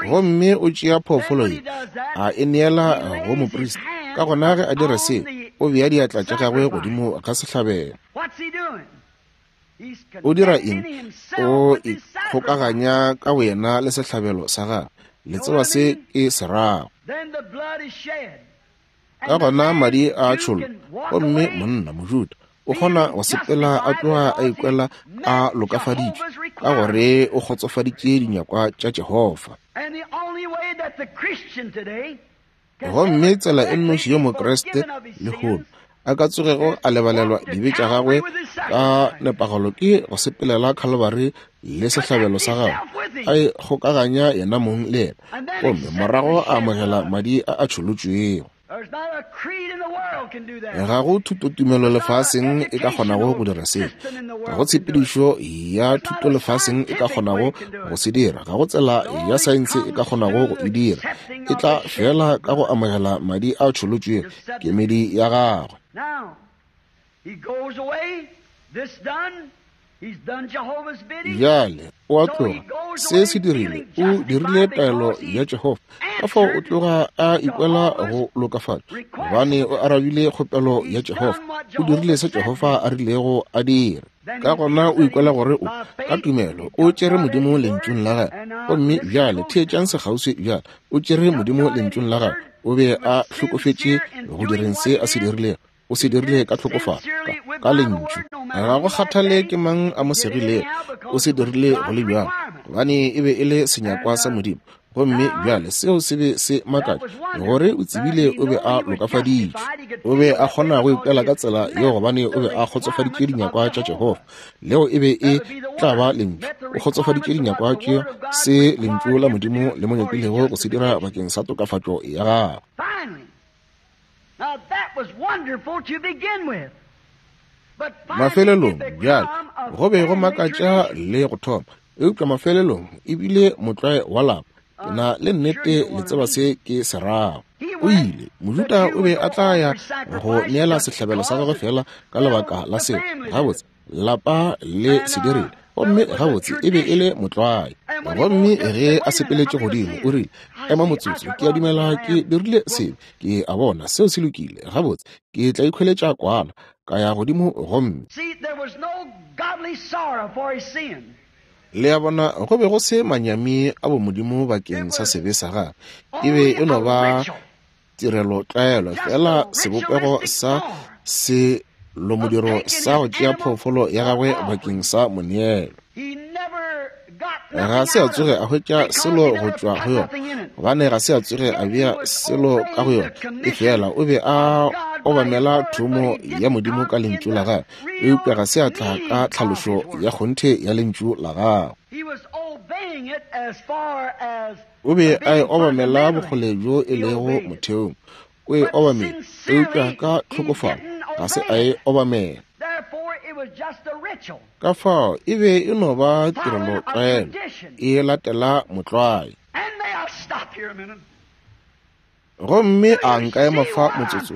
Gomme o tšea phoofolo ye, a e neela go moprista. Ka gona ge a dira se, o bea diatla tša gagwe godimo ga sehlabelo. O dira eng? O ikgokaganya ka boyena le sehlabelo sa gagwe. Le tseba se ke se rago. Ka gona madi a tšhollo, gomme monna Mojuda o kgona go sepela a tloga a ikwela a lokafaditšwe ka gore o kgotsofaditše dinyakwa tša Jehofa. Gomme tsela e nnoši yo Mokriste lehono a ka tsogego a lebalelwa dibe tša gagwe ka nepagalo ke go sepelela Khalibari le sehlabelo sa gagwe, a ikgokaganya yena mong le yena, gomme morago a amogela madi a a tšholotšwego. Ga go thutotumelo lefaseng e ka kgonago go dira seo. Ga go tshepedišo ya thuto lefaseng e ka kgonago go se dira. Ga go tsela ya saense e ka kgonago go e dira. E tla fela ka go amogela madi a tšholotšwego, kemedi ya gagwe. Bjale o a tloga, se se dirile, o dirile taelo ya Jehofa, ka fao o tloga a ikwela go lokafatšwa, gobane o arabile kgopelo ya Jehofa, o dirile se Jehofa a rilego a dire. Ka gona o ikwela gore o, ka tumelo, o tšere Modimo lentšung la gagwe. Gomme bjale theetšang sekgauswi bjale, o tšere Modimo lentšung la gagwe, o be a hlokofetše go direng se a se dirilego. O se dirile ka tlhokofalo, ka Lentšu. Ga go kgathale ke mang a mo segilego, o se dirile go le bjalo, gobane e be e le senyakwa sa Modimo. Gomme bjale seo se be se makatša, gore o tsebile o be a lokafaditšwe. O be a kgona go ikwela ka tsela yeo gobane o be a kgotsofaditše dinyakwa tša Jehofa. Leo e be e tla ba Lentšu. O kgotsofaditše dinyakwa tše se Lentšu la Modimo le mo nyakilego go se dira bakeng sa tokafatšo ya gagwe. Mafelelong, bjale, go be go makatša le go thoma, eupša mafelelong e bile motlwae wa lapa. Ke na le nnete le tseba se ke se rago. O ile, Mojuda o be a tla ya go neela sehlabelo sa gagwe fela ka lebaka la seo. Gabotse, lapa le se dirile, gomme gabotse e be e le motlwae. Gomme ge a sepeletše godimo, o rile, Ema motsotso, ke a dumela ke dirile sebe. Ke a bona seo se lokile. Gabotse, ke tla ikhweletša kwana, ka ya godimo gomme. Le a bona, go be go se manyami a bomodimo bakeng sa sebe sa gagwe. E be e no ba tirelo tlwaelo, fela sebopego sa selomodiro sa go tšea phoofolo ya gagwe bakeng sa moneelo. Ga se a tsoge a hwetša selo go tšwa go yona, gobane ga se a tsoge a bea selo ka go yona. Efela o be a obamela thomo ya Modimo ka Lentšu la gagwe, eupša ga se a tla ka tlhalošo ya kgonthe ya Lentšu la gagwe. O be a e obamela bokgole bjo e lego motheong. O e obamela, eupša ka tlhokofalo ga se a e obamela. Ka fao e be e no ba tirelo tlwaelo, e latela motlwae. Gomme a nka ema fa motsotso,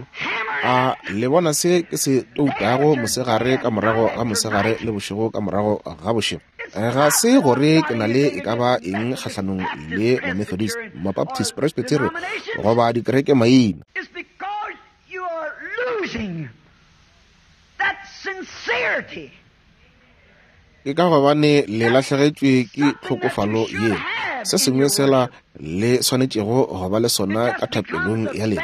a le bona se ke se toutago mosegare ka morago ga mosegare le bošego ka morago ga bošego. Ga se gore ke na le e ka ba eng kgahlanong le Mamethodist, Mabaptist, Presbyterian goba dikereke maina. Ke ka gobane le lahlegetšwe ke tlhokofalo ye, se sengwe sela le swanetšego go ba le sona ka thapelong ya lena,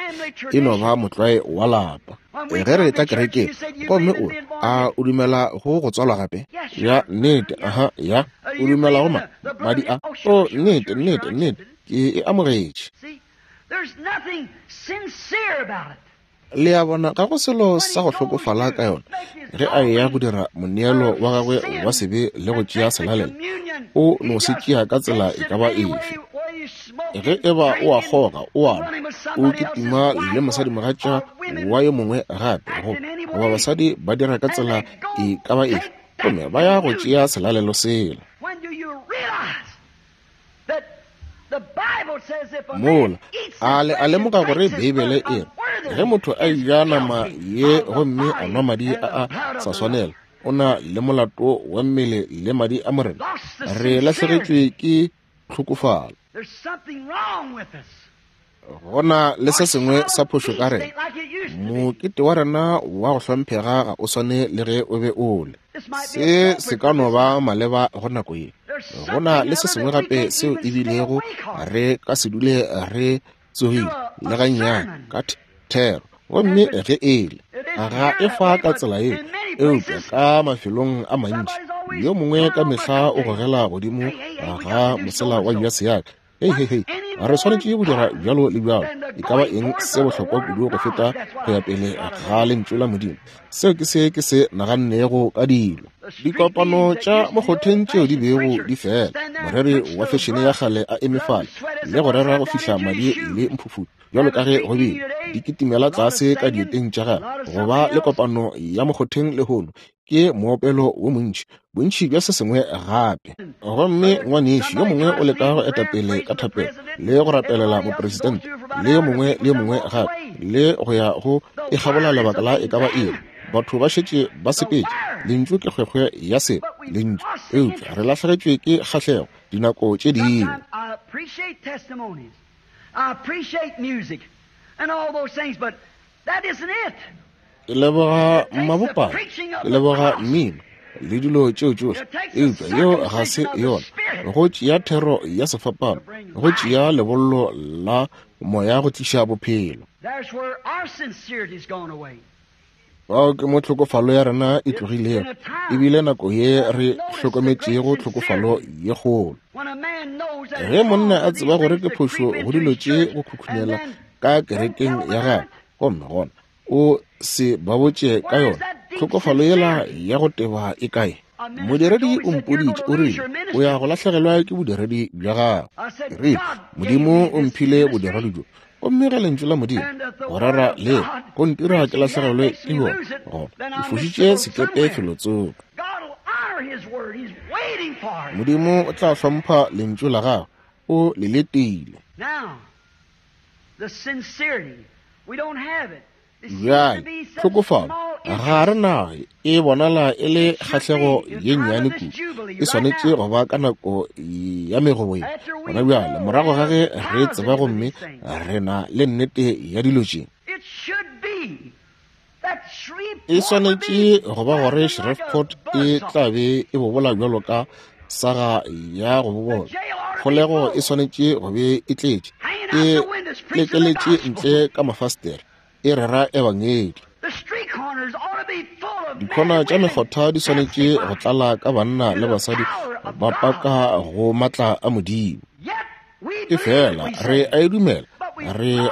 e no ba motlwae wa lapa. Ge re tla kerekeng, gomme o a o dumela go go tswalwa gape? Ya, nnete, aha, ya, o dumela go ma, madi a? O, nnete, nnete, nnete, ke e amogetše. Le a bona, ga go selo sa go hlokofala ka yona. Ge a eya go dira moneelo wa gagwe wa sebe le go tšea selalelo, o no se tšea ka tsela e ka ba efe. Ge e ba o a kgoga, o a nwa, o kitima le mosadimogatša wa yo mongwe gape, goba basadi ba dira ka tsela e ka ba efe, gomme ba ya go tšea selalelo sela. Mola a le a lemoga gore Beibele e re ge motho a eja nama ye gomme a nwa madi a a sa swanela, o na le molato wa mmele le madi a Morena. Re lahlegetšwe ke tlhokofalo. Go na le se sengwe sa phošo ka rena. Mokete wa rena wa go hlomphega ga o swane le ge o be o le. Se se ka no ba maleba go nako ye. Go na le se sengwe gape seo e bilego re ka se dule re tsogile le gannyane ka thero. Gomme ge e le ga e fa ka tsela ye, eupša ka mafelong a mantši yo mongwe ka mehla o gogela godimo ga mosela wa jase ya ka. Hei, hei, hei, re swanetše go dira bjalo le bjalo. E ka ba eng se bohlokwa kudu go feta go ya pele ga Lentšu la Modimo? Seo ke se ke se nagannego ka dilo. Dikopano tša mokgotheng tšeo di bego di fela, moreri wa fešene ya kgale a eme fale le go rera go fihla madi le mphufutšo, bjalo ka ge go bile, di kitimela tlase ka dieteng tša gagwe. Go ba le kopano ya mokgotheng lehono ke moopelo wo montši, bontši bja se sengwe gape. Gomme ngwanešu yo mongwe o leka go etapele ka thapelo le go rapelela mopresidente le yo mongwe le yo mongwe gape, le go ya go e kgabola lebaka la e ka ba iri. Batho ba šetše ba sepetše. Lentšu ke kgwekgwe ya selo, lentšu, eupša re lahlegetšwe ke kgahlego dinako tše dingwe. Ke leboga mabopane, ke leboga mmino le dilo tšeo tšohle, eupša yeo ga se yona. Go tšea thero ya sefapano, go tšea lebollo la moya go tliša bophelo. Fao ke mo tlhokofalo ya rena e tlogilego, e bile nako ye re hlokometšego tlhokofalo ye kgolo. Ge monna a tseba gore ke phošo go dilo tše go khukhunela ka kerekeng ya gagwe, gomme gona o se ba botše ka yona, tlhokofalo yela ya go teba e kae? Modiredi o mpoditše, o rile, o ya go lahlegelwa ke bodiredi bja gago. Ke rile, Modimo o mphile bodiredi bjo, gomme ge Lentšu la Modimo go rera le go ntira ke lahlegelwe ke bjona, gona ke fošitše sekepe felotsoko. Modimo o tla hlompha Lentšu la gagwe, o le letile. Bjale, tlhokofalo, ga re nayo, e bonala e le kgahlego ye nnyane kudu. E swanetše go ba ka nako ya megobo ye. Gona bjale, morago ga ge re tseba gomme re na le nnete ya dilo tše, e swanetše go ba gore Shreveport e tla be e bobola bjalo ka saga ya go bobola. Kgolego e swanetše go be e tletše, e lekeletše ntle ka mafastere, e rera ebangedi. Dikhona tša mekgotha di swanetše go tlala ka banna le basadi ba paka go matla a Modimo. Efela re a e dumela, re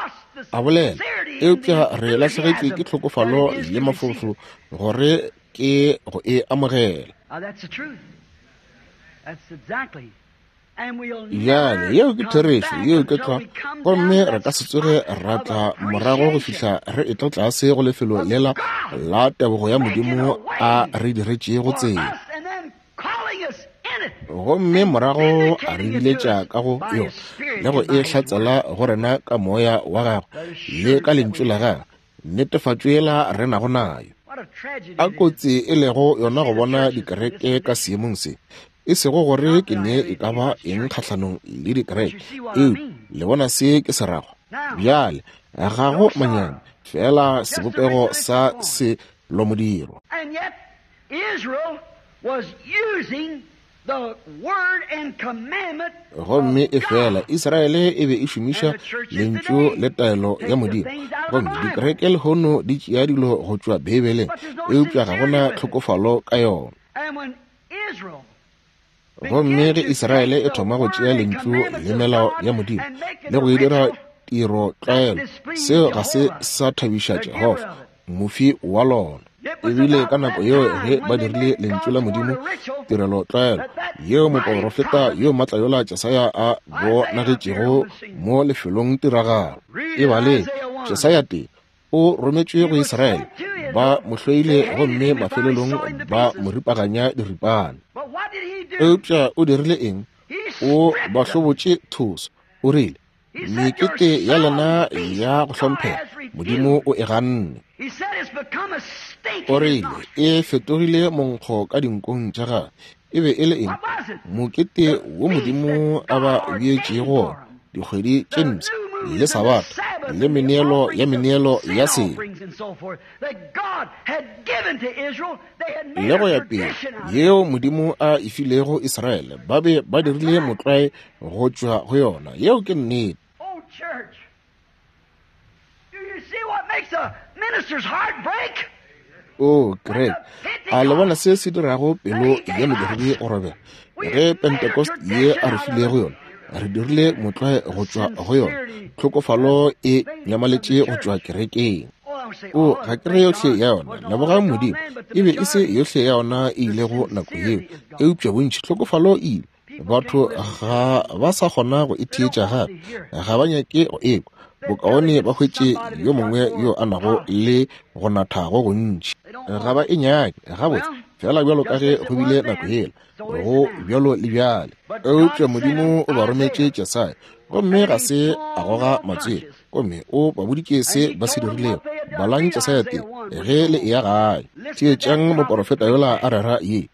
a bolela, eupša re lahlegetšwe ke tlhokofalo le mafolofolo gore ke go e amogela. Bjale, yeo ke therešo, yeo ke tlwa, gomme re ka se tsoge ra tla morago go fihla re etla tlase go lefelo lela la tebogo ya Modimo a re diretšego tsela, gomme morago a re biletša ka go yona le go e hlatsela go rena ka Moya wa gagwe le ka Lentšu la gagwe, netefatšo yela re nago nayo. A kotsi e lego yona go bona dikereke ka seemong se. E sego gore ke ne e ka ba eng kgahlanong le dikereke, eupša le bona se ke se rago. Bjale, ga go manyami, feela sebopego sa selomodiro. Gomme efela Israele e be e šomiša Lentšu le taelo ya Modimo. Gomme dikereke lehono di tšea dilo go tšwa Beibeleng, eupša ga go na tlhokofalo ka yona. Gomme ge Israele e thoma go tšea Lentšu le melao ya Modimo le go e dira tiro tlwaelo, seo ga se sa thabiša Jehofa, mofi wa lona. Ebile ka nako yeo ge ba dirile Lentšu la Modimo tirelo tlwaelo, yeo moporofeta yo matla yola Jesaya a bonagetšego mo lefelong tiragalo. E baleng Jesaya 1, o rometšwe go Israele, ba mo hloile gomme mafelelong ba mo ripaganya diripana. Eupša o dirile eng? O ba hlobotše thoso. O rile, mekete ya lena ya go hlomphega Modimo o e ganne. O rile, e fetogile monkgo ka dinkong tša gagwe. E be e le eng? Mokete wo Modimo a ba beetšego wona, dikgwedi tše mpsha le Sabatha le meneelo ya meneelo ya sebe le go ya pele, yeo Modimo a e filego Israele, ba be ba dirile motlwae go tšwa go yona. Yeo ke nnete. O kereke, a le bona se se dirago pelo ya modiredi go robega? Ge Pentecost ye a re filego yona, re dirile motlwae go tšwa go yona, tlhokofalo e nyamaletše go tšwa kerekeng. O, ga ke re yohle ya yona, lebogang Modimo, e be e se yohle ya yona e ilego nako yeo, eupša bontši tlhokofalo e ile. Batho ga ba sa kgona go e theetša gape, ga ba nyake go ekwa. Bokaone ba hwetše yo mongwe yo a nago le go natha go gontši. Ga ba e nyake gabotse, fela bjalo ka ge go bile nako yela, go bjalo le bjale. Eupša Modimo o ba rometše Jesaya, gomme ga se a goga matswele, gomme o ba boditše se ba se dirilego. Balang Jesaya tee ge le eya gae. Theetšang moporofeta yola a rera ye.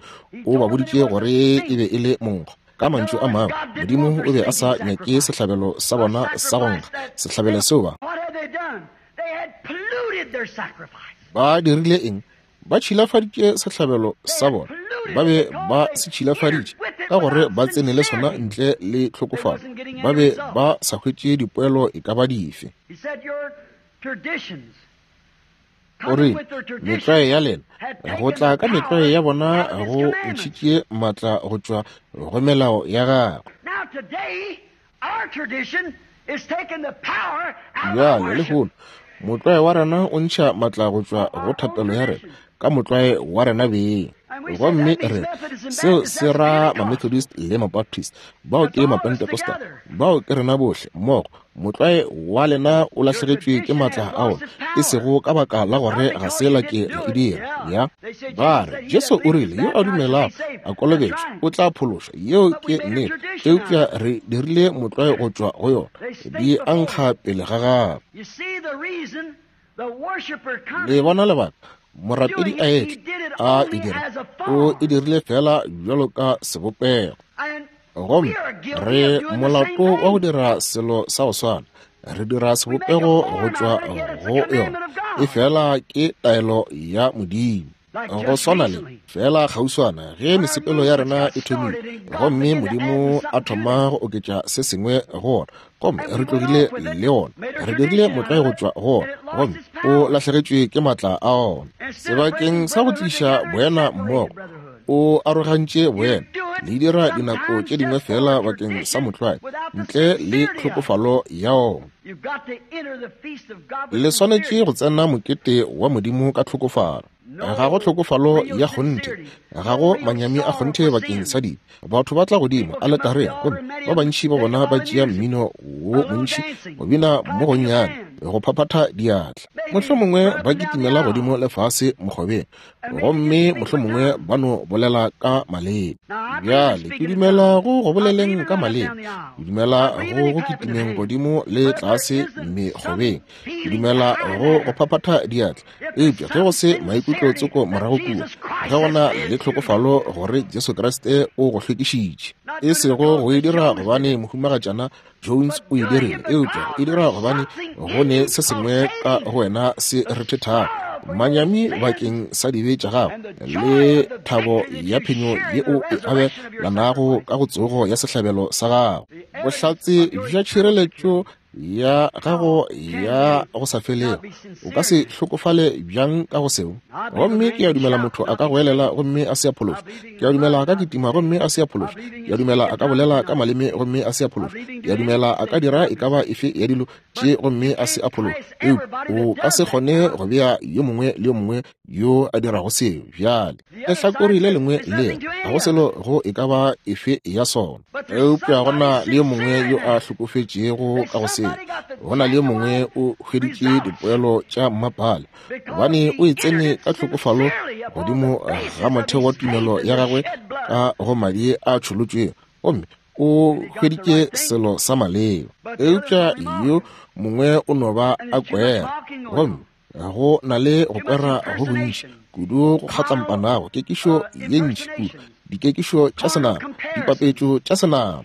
O ba boditše gore e be e le monkgo. Ka mantšu a mangwe, Modimo o be a sa nyake sehlabelo sa bona sa go nkga, sehlabelo seo ba ba dirile eng? Ba tšhilafaditše sehlabelo sa bona. Ba be ba se tšhilafaditše ka gore ba tsene le sona ntle le tlhokofalo. Ba be ba sa hwetše dipoelo e ka ba dife. O rile, Metlwae ya lena, go tla ka metlwae ya bona go ntšhitše maatla go tšwa go melao ya gagwe. Bjale, lehono, motlwae wa rena o ntšha maatla go tšwa go thapelo ya rena ka motlwae wa rena beng. Gomme re seo se ra Mamethodist le Mabaptist, bao ke Mapentecostal, bao ke rena bohle mmogo. Motlwae wa lena o lahlegetšwe ke maatla a ona, e sego ka baka la gore ga se la ke la e dira. Ya ba re, Jesu o rile, yo a dumelago a kolobetšwa o tla phološwa. Yeo ke nnete, eupša re dirile motlwae go tšwa go yona. Di a nkga pele ga gagwe. Le bona lebaka morapedi a etla a e dira, o e dirile fela bjalo ka sebopego. Gomme re molato wa go dira selo sa go swana, re dira sebopego go tšwa go yona, e fela ke taelo ya Modimo. Go swana le fela kgauswana ge mesepelo ya rena e thomile, gomme Modimo a thoma go oketša se sengwe go ona, gomme re tlogile le ona, re dirile motlwae go tšwa go ona, gomme o lahlegetšwe ke maatla a ona. Sebakeng sa go tliša boena mmogo, o arogantše boena. Le dira dinako tše dingwe fela bakeng sa motlwae, ntle le tlhokofalo ya ona. Le swanetše go tsena mokete wa Modimo ka tlhokofalo. Ga go tlhokofalo ya kgonthe, ga go manyami a kgonthe bakeng sa dibe. Batho ba tla godimo aletareng, gomme ba bantši ba bona ba tšea mmino wo montši, go bina mo gonnyane, go phaphatha diatla. Mohlomongwe ba kitimela godimo le fase mokgobeng, gomme mohlomongwe ba no bolela ka maleme. Bjale ke dumela go go boleleng ka maleme, ke dumela go go kitimeng godimo le tlase mekgobeng, ke dumela go go phaphatha diatla. Eupša ge go se maikutlo tsoko morago kua, ge go na le tlhokofalo gore Jesu Kriste o go hlwekišitše, e sego go e dira gobane Mohumagatšana Jones o e dirile, eupša go e dira gobane go ne se sengwe ka go wena se rethethago, manyami bakeng sa dibe tša gago le thabo ya phenyo ye o e abelanago ka go tsogo ya sehlabelo sa gago. Bohlatse bja tšhireletšo ya gago ya go sa felego, o ka se hlokofale bjang ka go seo? Gomme ke a dumela motho a ka goelela gomme a se a phološwa. Ke a dumela a ka kitima gomme a se a phološwa. Ke a dumela a ka bolela ka maleme gomme a se a phološwa. Ke a dumela a ka dira e ka ba efe ya dilo tše gomme a se a phološwa. Eupša o ka se kgone go bea yo mongwe le yo mongwe yo a dirago seo. Bjale lehlakore le lengwe le ga go selo go e ka ba efe ya sona, eupša go na le yo mongwe yo a hlokofetšego ka go seo. Go na le yo mongwe o hweditše dipoelo tša mmapale gobane o e tsene ka tlhokofalo godimo ga motheo wa tumelo ya gagwe ka go madi a tšholotšwego, gomme o hweditše selo sa maleba. Eupša yo mongwe o no ba a kwera, gomme go na le go kwera go gontši kudu go kgatlampanago, kekišo ye ntši kudu, dikekišo tša senama, dipapetšo tša senama.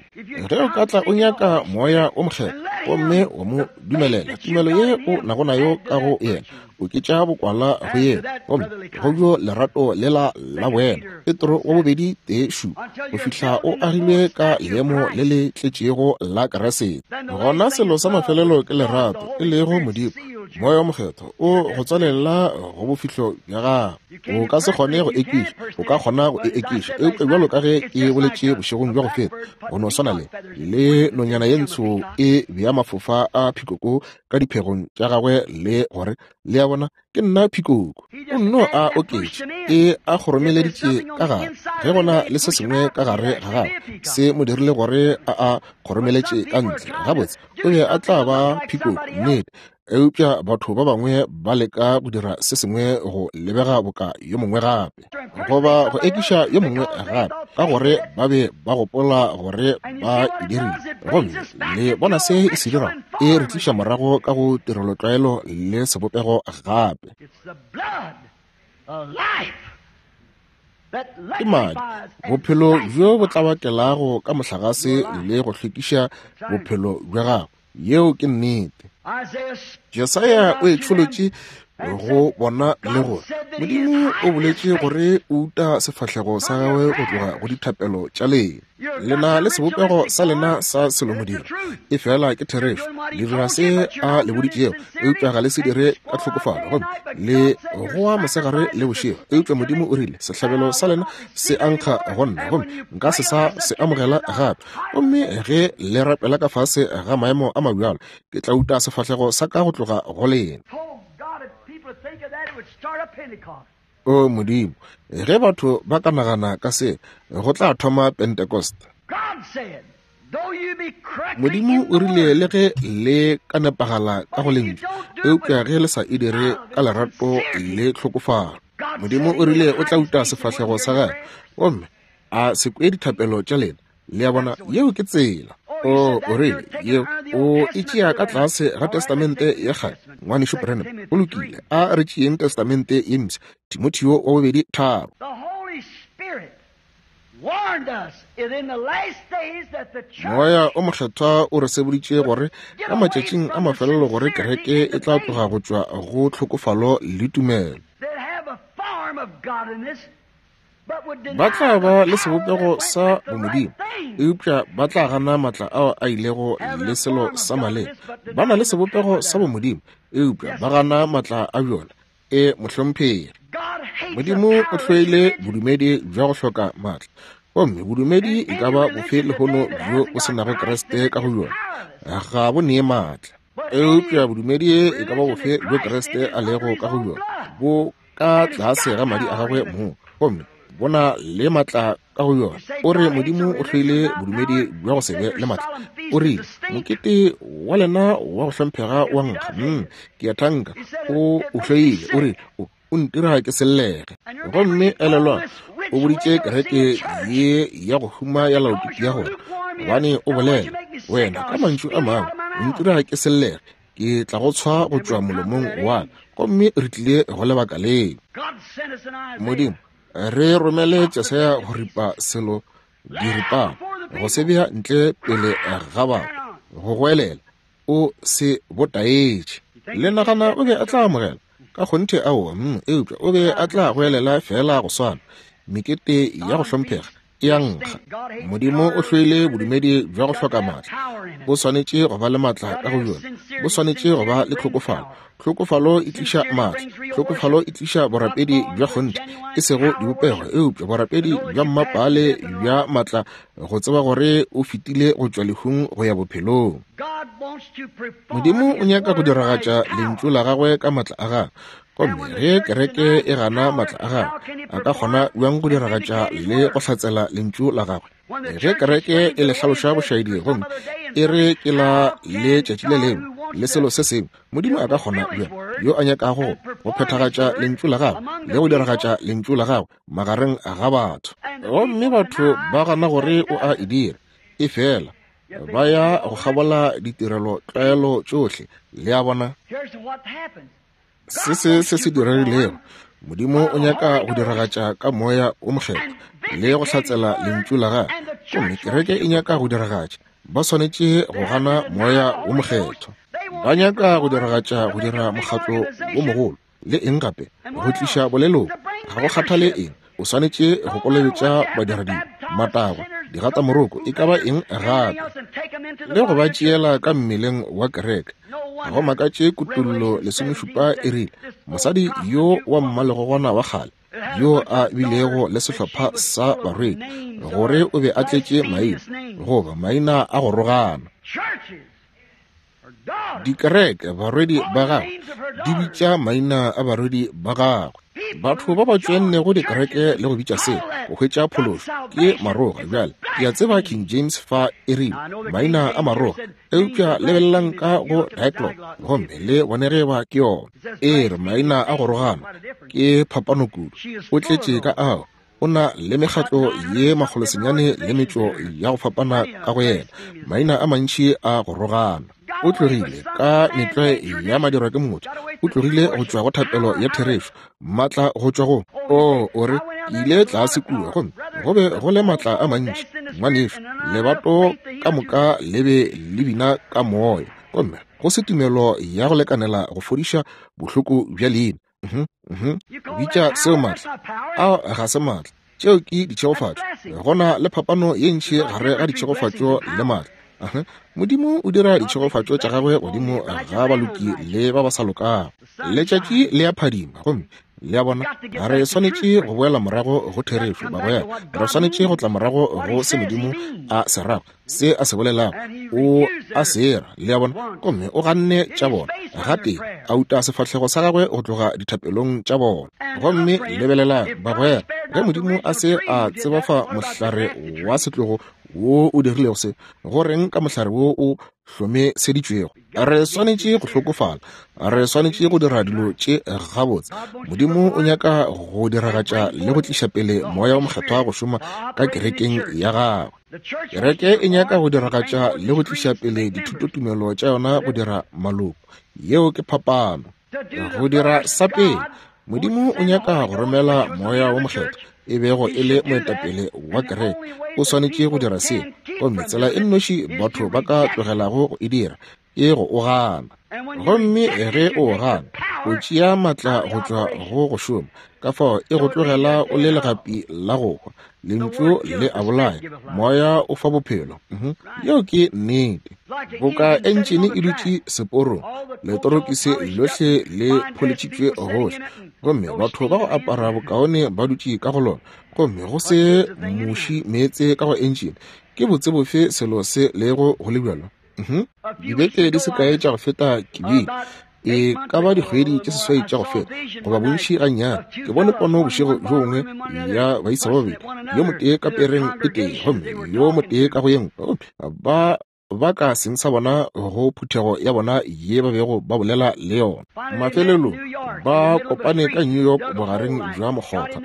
Ge o ka tla o nyaka Moya wo Mokgethwa gomme wa mo dumelela, tumelo ye o nago nayo ka go yena, oketša bokwala go yena, gomme go bjo lerato lela la boena. Petro wa bobedi 1:7, go fihla o agilwe ka leemo le le tletšego la Kriste. Gona selo sa mafelelo ke lerato, e lego Modimo. Moya wo Mokgethwa o go tswalela go bofihlo bja gago. O ka se kgone go ekiša, o ka kgona go e ekiša, eupša bjalo ka ge ke boletše bošegong bja go feta, go no swana le le nonyana ye ntsho e bea mafofa a phikoko ka diphegong tša gagwe le gore, le a bona, ke nna phikoko. O nno a oketše, e a kgoromeleditše ka gare. Ge go na le se sengwe ka gare ga gagwe se mo dirile gore a a kgoromeletše ka ntle, gabotse o be a tla ba phikoko, nnete. Eupša batho ba bangwe ba leka go dira se sengwe go lebega boka yo mongwe gape, goba go ekiša yo mongwe gape, ka gore ba be ba gopola gore ba e dirile. Gomme le bona se e se dirago, e re tliša morago ka go tirelotlwaelo le sebopego gape. Ke madi, bophelo bjo bo tlabakelago ka mohlagase le go hlwekiša bophelo bja gago. Yeo ke nnete. Jesaya o e tšholotše go bona le gore Modimo o boletše gore o uta sefahlego sa gagwe go tloga go dithapelo tša lena. Le na le sebopego sa lena sa selomodiro, efela ke therešo. Le dira se a le boditšego, eupša ga le se dire ka tlhokofalo, gomme le goa mosegare le bošego. Eupša Modimo o rile, Sehlabelo sa lena se a nkga go nna, gomme nka se sa se amogela gape. Gomme ge le rapela ka fase ga maemo a mabjalo, ke tla uta sefahlego sa ka go tloga go lena. O Modimo, ge batho ba ka nagana ka se, go tla thoma Pentecost. Modimo o rile le ge le ka nepagala ka go lentšu, eupša ge le sa e dire ka lerato le tlhokofalo. Modimo o rile o tla uta sefahlego sa gagwe gomme a se kwe dithapelo tša lena. Le a bona, yeo ke tsela. O, o rile, yeo o e tšea ka tlase ga Testamente ya Kgale, Ngwanešu Branham. Go lokile, a re tšeeng Testamente ye Mpsha, Timotheo wa bobedi 3. Moya o Mokgethwa o re seboditše gore ka matšatšing a mafelelo gore kereke e tla tloga go tšwa go tlhokofalo le tumelo. Ba tla ba le sebopego sa bomodimo, eupša ba tla gana matla ao a ilego le selo sa maleba. Ba na le sebopego sa bomodimo, eupša ba gana matla a bjona. E, mohlomphegi. Modimo o hloile bodumedi bja go hloka matla. Gomme bodumedi e ka ba bofe lehono bjo bo se nago Kriste ka go bjona, ga bo nee matla. Eupša bodumedi e ka ba bofe bjo Kriste a lego ka go bjona, bo ka tlase ga madi a gagwe mong, gomme bo na le matla ka go yona. O re Modimo o hloile bodumedi bja go se be le matla. O rile, Mokete wa lena wa go hlomphega wa nkga. Ke a thanka o o hloile. O rile, O ntira ke sellege. Gomme elelwang, o boditše kereke ye ya go huma ya Laodikia gore, gobane o bolela, wena ka mantšu a mangwe, o ntira ke sellege, ke tla go tshwa go tšwa molomong wa ka. Gomme re tlile go lebaka leo. Modimo, re romele Jesaya go ripa selo diripana, go se bea ntle pele ga batho, go goelela, o se botaetše. Le nagana o be a tla amogela? Ka kgonthe aowa, eupša o be a tla goelela feela go swana. Mekete ya go hlomphega e a nkga. Modimo o hloile bodumedi bja go hloka matla. Bo swanetše go ba le matla ka go bjona. Bo swanetše go ba le tlhokofalo. Tlhokofalo e tliša matla. Tlhokofalo e tliša borapedi bja kgonthe, e sego dibopego, eupša borapedi bja mmapaale bja matla, go tseba gore o fetile go tšwa lehung go ya bophelong. Modimo o nyaka go diragatša lentšu la gagwe ka matla a gagwe. Gomme ge kereke e gana matla a gagwe, a ka kgona bjang go diragatša le go hlatsela lentšu la gagwe? Ge kereke e le hlaloša bošaedi gomme e re ke la letšatši le lengwe le selo se sengwe, Modimo a ka kgona bjang, yo a nyakago go phethagatša lentšu la gagwe le go diragatša lentšu la gagwe magareng ga batho? Gomme batho ba gana gore o a e dira, efela ba ya go kgabola ditirelo tlwaelo tšohle. Le a bona? Se se se se diregilego, Modimo o nyaka go diragatša ka Moya wo Mokgethwa le go hlatsela Lentšu la Gagwe, gomme kereke e nyaka go diragatša. Ba swanetše go gana Moya wo Mokgethwa. Ba nyaka go diragatša go dira mokgatlo wo mogolo le eng gape, go tliša boleloko, ga go kgathale eng. O swanetše go kolobetša badiradibe, matagwa, digatamoroko, e ka ba eng gape, le go ba tšeela ka mmeleng wa kereke. Ga go makatše Kutollo 17 e rile, Mosadi yo wa mmalegogwana wa kgale, yo a bilego le sehlopha sa barwedi, gore o be a tletše maina, goba maina a go rogana. Dikereke, barwedi ba gagwe, di bitša maina a barwedi ba gagwe. Batho ba ba tšoennego dikereke le go bitša seo go hwetša phološo ke maroga. Bjale, ke a tseba King James fa e rile maina a maroga, eupša lebelelang ka go Diaglott gomme le bone ge eba ke yona. E re maina a go rogana, ke phapano kudu. O tletše ka ao. O na le mekgatlo ye makgolosenyane le metšo ya go fapana ka go yena, maina a mantši a go rogana. O tlogile ka metlwae ya madirwa ke motho, o tlogile go tšwa go thapelo ya therešo, maatla go tšwa go. O, o re, ke ile tlase kua gomme go be go le maatla a mantši, ngwanešu, lebato ka moka le be le bina ka moya, gomme. Go se tumelo ya go lekanela go fodiša bohloko bja leina. Bitša seo maatla. Ao ga se maatla. Tšeo ke ditšhegofatšo. Go na le phapano ye ntši gare ga ditšhegofatšo le maatla. Modimo o dira ditšhegofatšo tša gagwe godimo ga baloki le ba ba sa lokago. Letšatši le a phadima, gomme le a bona, re swanetše go boela morago go therešo, bagwera. Re swanetše go tla morago go se Modimo a se rago, se a se bolelago, o a se ra, le a bona. Gomme o ganne tša bona, gatee a uta sefahlego sa gagwe go tloga dithapelong tša bona. Gomme lebelelang, bagwera, ge Modimo a se a tsebafa mohlare wa setlogo wo o dirilego se, go reng ka mohlare wo o hlomeseditšwego? Re swanetše go hlokofala, re swanetše go dira dilo tše gabotse. Modimo o nyaka go diragatša le go tliša pele Moya wo Mokgethwa go šoma ka kerekeng ya gagwe. Kereke e nyaka go diragatša le go tliša pele dithutotumelo tša yona go dira maloko. Yeo ke phapano. Go dira sa pele, Modimo o nyaka go romela Moya wo Mokgethwa, e bego e le moetapele wa kereke. O swanetše go dira seo, gomme tsela e nnoši batho ba ka tlogelago go e dira ke go o gana. Gomme ge o o gana, o tšea matla go tšwa go go šoma, ka fao e go tlogela o le legapi la go hwa. Lentšu le a bolaya, Moya o fa bophelo. Yeo ke nnete. Boka entšene e dutše seporong, letorokisi lohle le pholetšitšwe gohle, gomme batho ba go apara bokaone ba dutše ka go lona, gomme go se muši meetse ka go entšene. Ke botse bofe selo se lego go le bjalo? Dibeke di se kae tša go feta ke bile, e ka ba dikgwedi tše seswai tša go feta, goba bontši gannyane, ke bone pono bošego bjo bongwe ya baisa ba babedi, yo motee ka pereng e tee gomme yo motee ka go ye nngwe, gomme ba ba ka seng sa bona go phuthego ya bona ye ba bego ba bolela le yona. Mafelelong ba kopane ka New York bogareng bja mokgotha,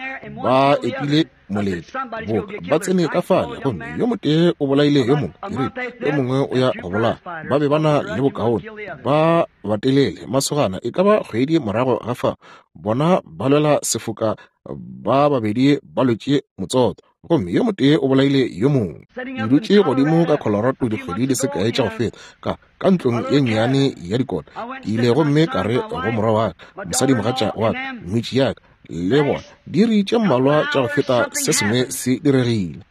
ba epile molete, boka ba tsene ka fale, gomme yo motee o bolaile yo mongwe, ke rile, yo mongwe o ya go bolaya. Ba be ba na le bokaone, ba batelele masogana e ka ba kgwedi morago ga fao, bona ba lwela sefoka, ba babedi ba lwetše motsoto, gomme yo motee o bolaile yo mongwe. Ke dutše godimo ka Colorado dikgwedi di se kae tša go feta, ka ka ntlong ye nnyane ya dikota. Ke ile gomme ka re go morwa wa ka, mosadimogatša wa ka, ngwetši ya ka, le bona, diiri tše mmalwa tša go feta se sengwe se diregile.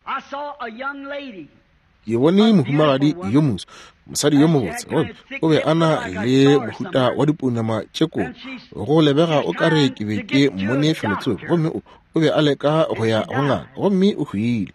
Ke bone mohumagadi yo moso, mosadi yo mobotse, gomme o be a na le mohuta wa dipounama tše kolo. Go lebega o ka re ke be ke mmone felotsoko, gomme o, o be a leka go ya go ngaka, gomme o hwile.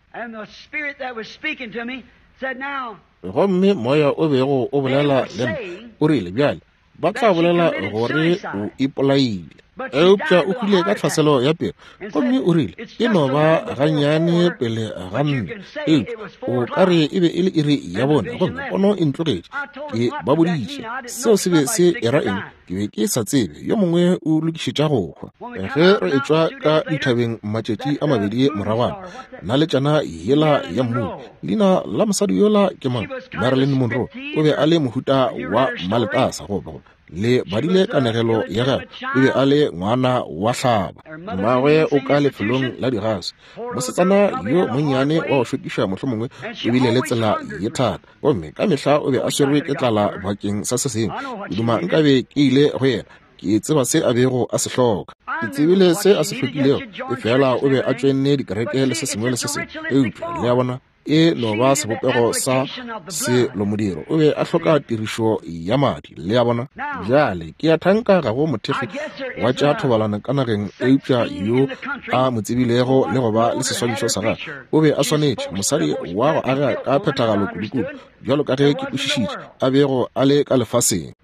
Gomme moya o bego o bolela le nna o rile, Bjale, ba tla bolela gore o ipolaile, eupša o hwile ka tlhaselo ya pelo. Gomme o rile, E no ba gannyane pele ga nne, eupša o ka re e be e le iri ya bone, gomme pono e ntlogetše. Ke ba boditše seo se be se era eng. Ke be ke sa tsebe. Yo mongwe o lokišetša go hwa. Ge re etšwa ka dithabeng matšatši a mabedi moragwana, naletšana yela ya mmung, leina la mosadi yola ke mang? Marilyn Monroe. O be a le mohuta wa maletasa, goba le badile kanegelo ya gagwe. O be a le ngwana wa hlaba. Mmagwe o ka lefelong la digase. Mosetsana yo monnyane wa go šokiša mohlomongwe o bile le tsela ye thata, gomme ka mehla o be a swerwe ke tlala bakeng sa se sengwe. Ke duma nkabe ke ile go yena. Ke tseba se a bego a se hloka. Ke tsebile se a se hlokilego, efela o be a tšoenne dikereke le se sengwe le se sengwe. Eupša, le a bona, e no ba sebopego sa selomodiro. O be a hloka tirišo ya madi, le a bona. Bjale, ke a thanka ga go mothekgi wa tša thobalano ka nageng eupša yo a mo tsebilego le go ba le seswantšho sa gagwe. O be a swanetše, mosadi wa go aga ka phethagalo kudukudu, bjalo ka ge ke kwešišitše, a bego a le ka lefaseng.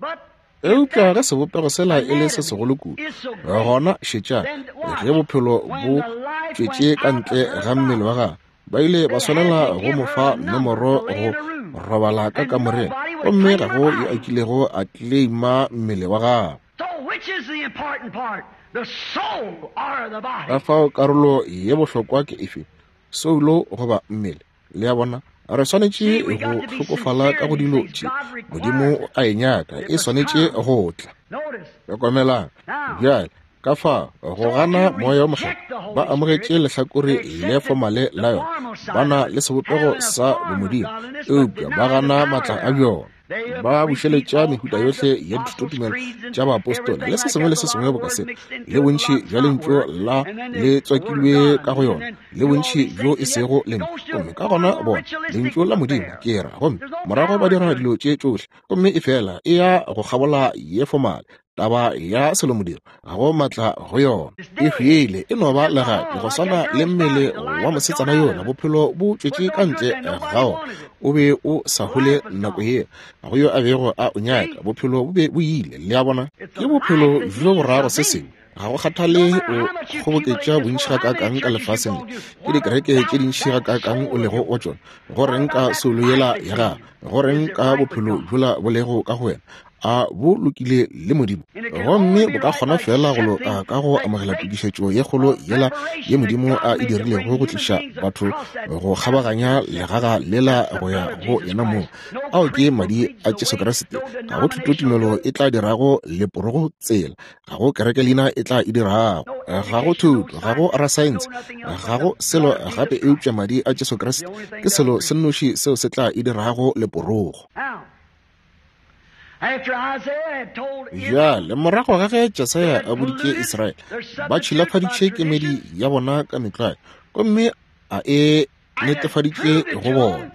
Eupša ge sebopego sela e le se segolo kudu, gona šetšang, ge bophelo bo tšwetše ka ntle ga mmele wa gagwe, ba ile ba swanela go mo fa nomoro go robala ka kamoreng, gomme ga go yo a kilego a kleima mmele wa gagwe. Ka fao karolo ye bohlokwa ke efe, soulo goba mmele? Le a bona, re swanetše go hlokofala ka go dilo tše Modimo a e nyaka, e swanetše go tla. Hlokomelang bjale ka fa go gana Moya wo Mokgethwa, ba amogetše lehlakore le fomale la yona, ba na le sebopego sa bomodimo, eupša ba gana maatla a bjona. Ba bušeletša mehuta yohle ya dithutotumelo tša baapostola le se sengwe le se sengwe boka se, le bontši bja Lentšu la le tswakilwe ka go yona, le bontši bjo e sego Lentšu. Gomme ka gona bona Lentšu la Modimo, ke ra, gomme morago ba dira dilo tše tšohle, gomme efela e ya go kgabola ye fomale, taba ya selomodiro, ga go maatla go yona. E hwile, e no ba legapi, go swana le mmele wa mosetsana yola, bophelo bo tšwetše ka ntle ga ona. O be o sa hole nako yeo, ga go yo a bego a o nyaka, bophelo bo be bo ile. Le a bona? Ke bophelo bjo borago se sengwe. Ga go kgathale o kgoboketša bontši gakaakang ka lefaseng le, ke dikereke tše dintši gakaakang o lego wa tšona, go reng ka soulo yela ya gago? Go reng ka bophelo bjola bo lego ka go wena? A bo lokile le Modimo? Gomme bo ka kgona feela go loka ka go amogela tokišetšo ye kgolo yela ye Modimo a e dirilego go tliša batho go kgabaganya legaga lela go ya go yena mong. Ao ke Madi a Jesu Kriste. Ga go thutotumelo e tla dirago leporogo tsela. Ga go kerekelina e tla e dirago. Ga go thuto, ga go rasaense, ga go selo gape eupša Madi a Jesu Kriste ke selo se nnoši seo se tla e dirago leporogo. Bjale, morago ga ge Jesaya a boditše Israele, ba tšhilafaditše kemedi ya bona ka metlwae, gomme a e netefaditše go bona.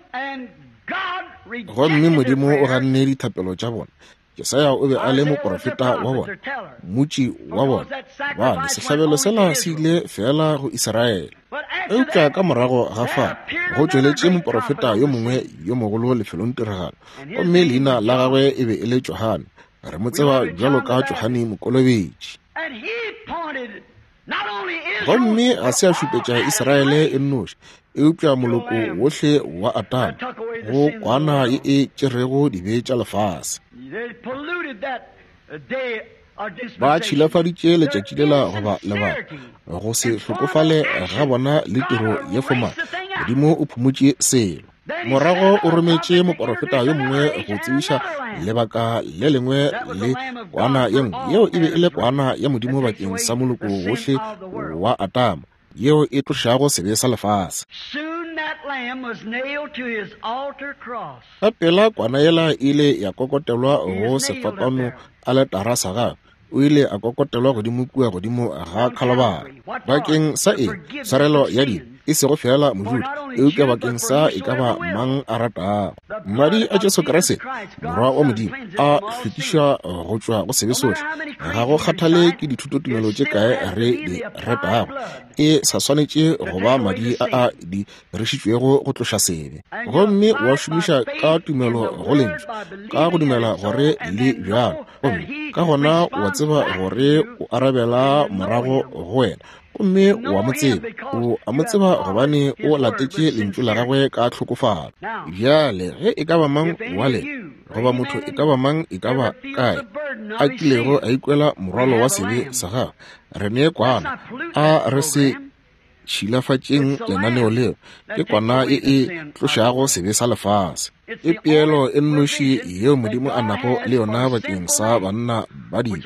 Gomme Modimo o ganne dithapelo tša bona. Jesaya o be a le moprofeta wa bona, mmotši wa bona, gobane sehlabelo sela se ile feela go Israele. Eupša ka morago ga fa go tšweletše moprofeta yo mongwe yo mogolo lefelong tiragalo, gomme leina la gagwe e be e le Johane. Re mo tseba bjalo ka Johane Mokolobetši. Gomme ga se a šupetša Israele e nnoši, eupša moloko wohle wa Adama, go kwana ye e tšerego dibe tša lefase. Ba tšhilafaditše letšatši lela goba lebaka, go se hlokofale ga bona le tiro ye fomale. Modimo o phumotše selo. Morago o rometše moporofeta yo mongwe go tsebiša lebaka le lengwe le kwana ye nngwe, yeo e be e le kwana ya Modimo bakeng sa moloko wohle wa Adama, yeo e tlošago sebe sa lefase. Ka pela kwana yela e ile ya kokotelwa go sefapano aletara sa gagwe. O ile a kokotelwa godimo kua godimo ga Khalabari. Bakeng sa eng? Tshwarelo ya dibe, e sego feela Mojuda, eupša bakeng sa e ka ba mang a ratago. Madi a Jesu Kriste, Morwa wa Modimo, a hlwekiša go tšwa go sebe sohle. Ga go kgathale ke dithutotumelo tše kae re di ratago, e sa swanetše go ba madi a a dirišitšwego go tloša sebe. Gomme wa šomiša ka tumelo go Lentšu, ka go dumela gore le bjalo, gomme ka gona wa tseba gore o arabela morago go wena, gomme wa mo tseba. O a mo tseba gobane o latetše Lentšu la gagwe ka tlhokofalo. Bjale ge e ka ba mang wa lena, goba motho e ka ba mang e ka ba kae, a kilego a ikwela morwalo wa sebe sa gagwe, re ne kwana, a re se tšhilafatšeng lenaneo leo. Ke kwana e e tlošago sebe sa lefase. Ke peelo e nnoši yeo Modimo a nago le yona bakeng sa banna ba dibe,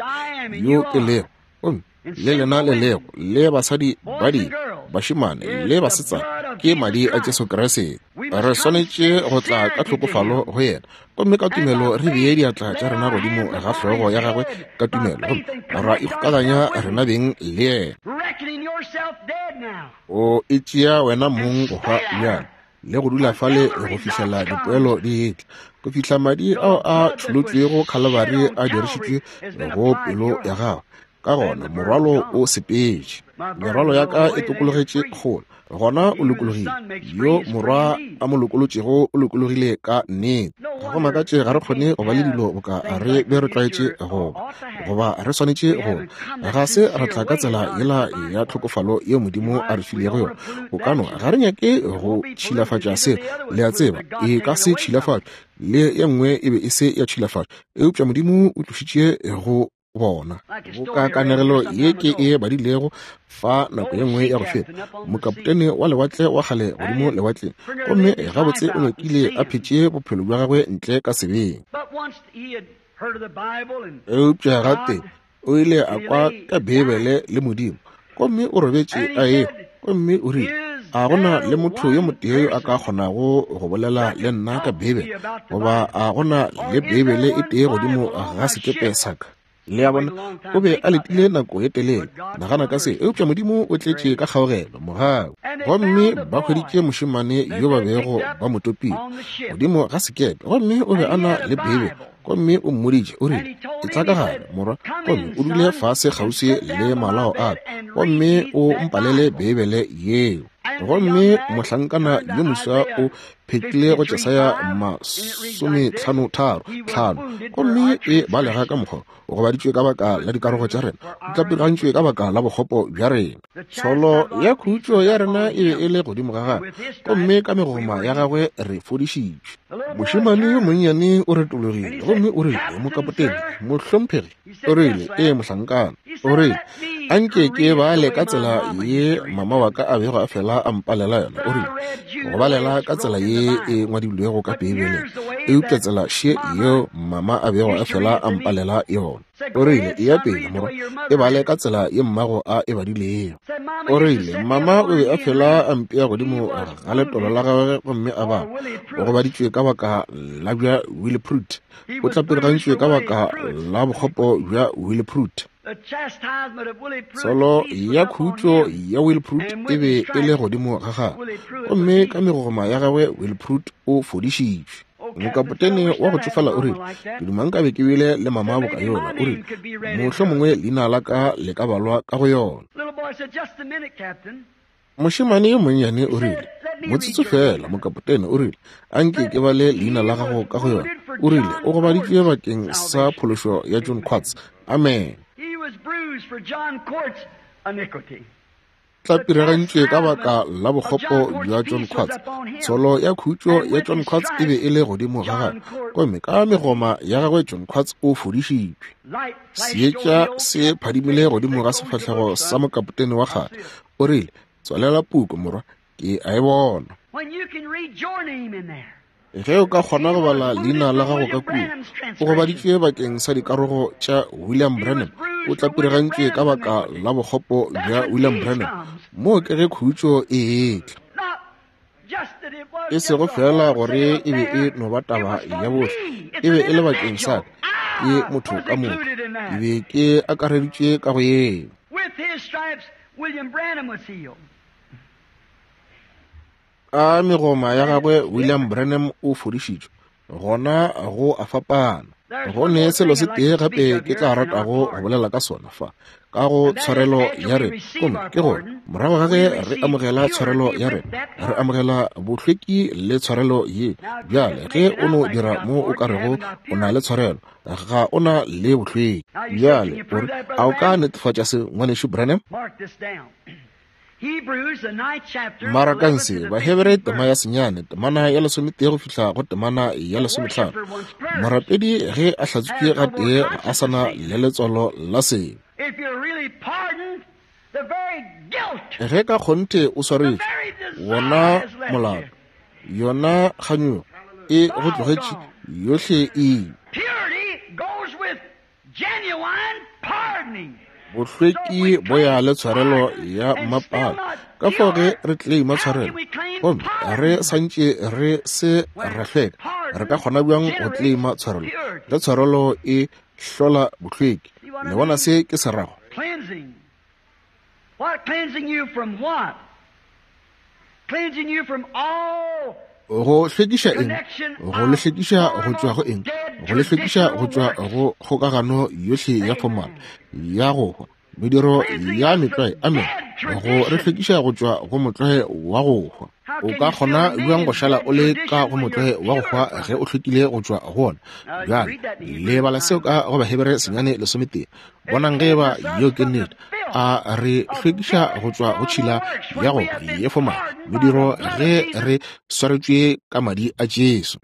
yo ke lego, gomme le lena le lego, le basadi ba dibe, bašemane le basetsana, ke madi a Jesu Kriste. Re swanetše go tla ka tlhokofalo go yena, gomme ka tumelo re bee diatla tša rena godimo ga hlogo ya gagwe ka tumelo, gomme ra ikgokaganya rena beng le yena. O e tšea wena mong go hwa bjalo, le go dula fale go fihlela dipoelo di etla, go fihla madi ao a tšholotšwego Khalabari a dirišitšwe go pelo ya gago. Ka gona morwalo o sepetše. Merwalo ya ka e tokologetše kgole. Gona o lokologile. Yo morwa a mo lokolotšego o lokologile ka nnete. Ga go makatše ga re kgone go ba le dilo boka re be re tlwaetše go ba, goba re swanetše go ba. Ga se ra tla ka tsela yela ya tlhokofalo yeo Modimo a re filego yona. O ka no, ga re nyake go tšhilafatša se, le a tseba, e ka se tšhilafatšwe, le ye nngwe e be e se ya tšhilafatšwa, eupša Modimo o tlošitše go bona. Boka kanegelo ye ke e badilego fa nako ye nngwe ya go feta, mokapotene wa lewatle wa kgale godimo lewatleng, gomme gabotse o nyakile a phetše bophelo bja gagwe ntle ka sebeng. Eupša gate o ile a kwa ka Beibele le Modimo, gomme o robetše a ehwa, gomme o rile, A go na le motho yo motee yo a ka kgonago go bolela le nna ka Beibele, goba a go na le Beibele e tee godimo ga sekepe sa ka? Le a bona, o be a letile nako ye telele. Nagana ka se, eupša Modimo o tletše ka kgaogelo, mogau. Gomme ba hweditše mošemane yo ba bego ba mo topile godimo ga sekepe, gomme o be a na le Beibele. Gomme o mmoditše, o rile, Etla ka gare, morwa, gomme o dule fase kgauswi le malao a ka, gomme o mpalele Beibele yeo. Gomme mohlankana yo moswa o phetlile go Jesaya 53:5, gomme e balega ka mokgwa, o gobaditšwe ka baka la dikarogo tša rena, o tlapirigantšwe ka baka la bokgopo bja rena. Tsholo ya khutšo ya rena e be e le godimo ga gagwe, gomme ka megoma ya gagwe re fodišitšwe. Mošemane yo monnyane o retologile gomme o rile, Mokapotene, mohlomphegi. O rile, Ee, mohlankana. O rile, A nke ke bale ka tsela ye mama wa ka a bego a fela a mpalela yona. O rile, Go balela ka tsela ye e ngwadilwego ka Beibeleng, eupša tsela še yeo mama a bego a fela a mpalela yona. O rile, Eya pele, morwa, e bale ka tsela ye mmago a e badilego. O rile, Mama o be a fela a mpea godimo ga letolo la gagwe gomme a bala. O gobaditšwe ka baka la bja Willie Pruitt. O tlapirigantšwe ka baka la bokgopo bja Willie Pruitt. Tsholo ya khutšo ya Willie Pruitt e be e le godimo ga gagwe, gomme ka megogoma ya gagwe Willie Pruitt o fodišitšwe. Mokapotene wa go tšofala o rile, Ke duma nkabe ke bile le mama boka yola. O rile, Mohlomongwe leina la ka le ka balwa ka go yona. Mošemane yo monnyane o rile, Motsotso feela, mokapotene, o rile, a nke ke bale leina la gago ka go yona. O rile, O gobaditšwe bakeng sa phološo ya John Quartz. Amen. Tlapiragantšwe ka baka la bokgopo bja John Quartz. Tsholo ya khutšo ya John Quartz e be e le godimo ga gagwe, gomme ka megoma ya gagwe John Quartz o fodišitšwe. Seetša se phadimile godimo ga sefahlego sa mokapotene wa kgale. O rile, Tswalela puku, morwa, ke a e bona. Ge o ka kgona go bala leina la gago ka kua, o gobaditšwe bakeng sa dikarogo tša William Branham, o tlapirigantšwe ka baka la bokgopo bja William Branham. Moo ke ge khutšo e etla. E sego feela gore e be e no ba taba ya bohle, e be e le bakeng sa ka, ke motho ka moka. Ke be ke akareditšwe ka go yeo. Ka megoma ya gagwe William Branham o fodišitšwe. Gona go a fapana. Go ne selo se tee gape ke tla ratago go bolela ka sona fa, ka go tshwarelo ya rena. Gomme ke gore morago ga ge re amogela tshwarelo ya rena, re amogela bohlweki le tshwarelo ye. Bjale ge o no dira mo o ka rego o na le tshwarelo, ga o na le bohlweki. Bjale o re, a o ka netefatša se, Ngwanešu Branham? Marakang se, Bahebere tema ya senyane, temana ya lesometee go fihla go temana ya lesomehlano. Morapedi ge a hlatswitšwe gatee ga a sa na le letswalo la sebe. Ge ka kgonthe o swaretšwe, wona molato, yona kganyogo e go tlogetše yohle e ile. Bohlweki bo ya le tshwarelo ya mmapale. Ka fao ge re claima tshwarelo gomme re santše re se ra hlweka, re ka kgona bjang go claima tshwarelo ge tshwarelo e hlola bohlweki? Le bona se ke se rago? Go hlwekiša eng? Go le hlwekiša go tšwa go eng? Go le hlwekiša go tšwa go kgokagano yohle ya formal ya go hwa, mediro ya metlwae. Amen. Go re hlwekiša go tšwa go motlwae wa go hwa. O ka kgona bjang go šala o le ka go motlwae wa go hwa ge o hlwekile go tšwa go wona? Bjale, le bala seo ka go Bahebere 9:13. Bonang ge eba yeo ke nnete. A re hlwekiša go tšwa go tšhila ya go ye foma mediro ge re swaretšwe ka madi a Jesu.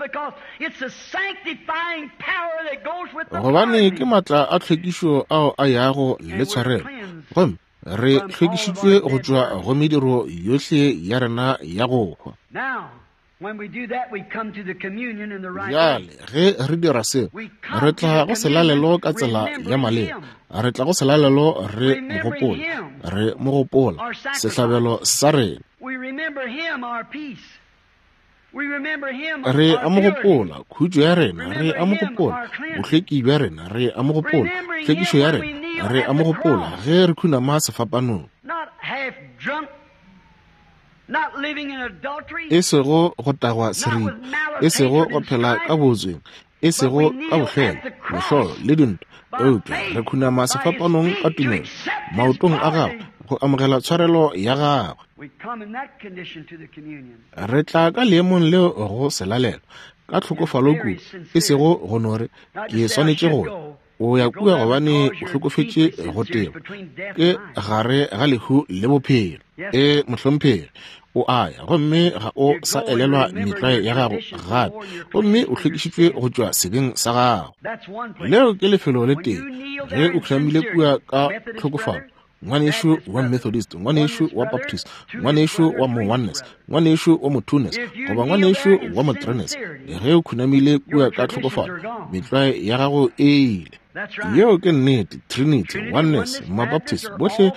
Gobane ke matla a tlhwekišo ao a yago le tshwarelo, gomme re hlwekišitšwe go tšwa go mediro yohle ya rena ya go hwa. Bjale, ge re dira seo, re tla go selalelo ka tsela ya maleba. Re tla go selalelo re mo gopola, re mo gopola, sehlabelo sa rena. Re a mo gopola, khutšo ya rena, re a mo gopola, bohlweki bja rena, re a mo gopola, hlwekišo ya rena, re a mo gopola ge re khunama sefapanong. E sego go tagwa seripa, e sego go phela ka bootsweng, e sego ka bohlwela, mehlolo le dintwa, eupša re khunama sefapanong ka tumelo maotong a gagwe go amogela tshwarelo ya gagwe. Re tla ka leemong leo go selalelo ka tlhokofalo kudu, e sego go no re ke swanetše go ya. O ya kua gobane o hlokofetše go teba, ke gare ga lehu le bophelo. E, mohlomphegi, o a ya gomme ga o sa elelwa metlwae ya gago gape, gomme o hlwekišitšwe go tšwa sebeng sa gago. Leo ke lefelo le tee ge o khunamile kua ka tlhokofalo, ngwanešu wa Methodist, ngwanešu wa Baptist, ngwanešu wa mo-Oneness, ngwanešu wa mo-Twoness, goba ngwanešu wa mo-Threeness, ge o khunamile kua ka tlhokofalo, metlwae ya gago e ile. Yeo ke nnete. Trinity, Oneness, Mabaptist, bohle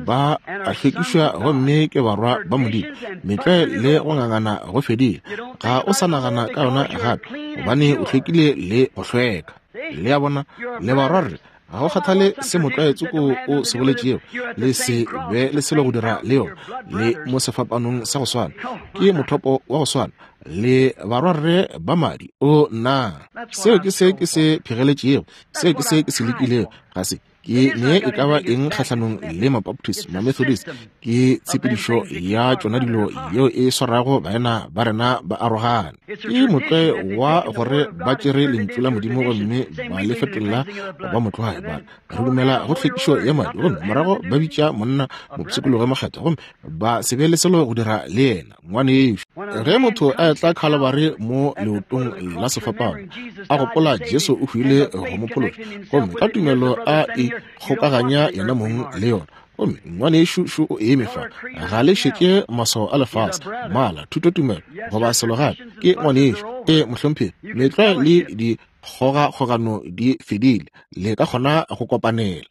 ba a hlwekišwa gomme ke barwa ba Modimo. Metlwae le go ngangana go fedile. Ga o sa nagana ka yona gape, gobane o hlwekile le go hlweka. Le a bona? Le barwarre. Ga go kgathale se motlwae tsoko o se boletšego, le se be le selo go dira le yona. Le mo sefapanong sa go swana, ke mothopo wa go swana, le barwarre ba madi. O nna, seo ke se ke se phegeletšego, seo ke se ke se lekilego. Ga se ke ne e ka ba eng kgahlanong le Mabaptist, Mamethodist, ke tshepedišo ya tšona dilo yeo e swarago baena ba rena ba arogane. Ke motlwae wa gore ba tšere lentšu la Modimo gomme ba le fetolela go ba motlwae, ba re re dumela go tlhwekišo ya madi, gomme morago ba bitša monna mopshikologi mokgethwa gomme ba se be le selo go dira le yena. Ngwanešu, ge motho a etla Khalabari mo leotong la sefapano, a gopola Jesu o hwile go mo phološa, gomme ka tumelo a ikgokaganya yena mong le yona, gomme ngwanešu šo o eme fa, ga le šetše maswao a lefase, mala, thutotumelo, goba selo gape, ke ngwanešu. E, mohlomphegi, metlwae le dikgogakgogano di fedile, le ka kgona go kopanela.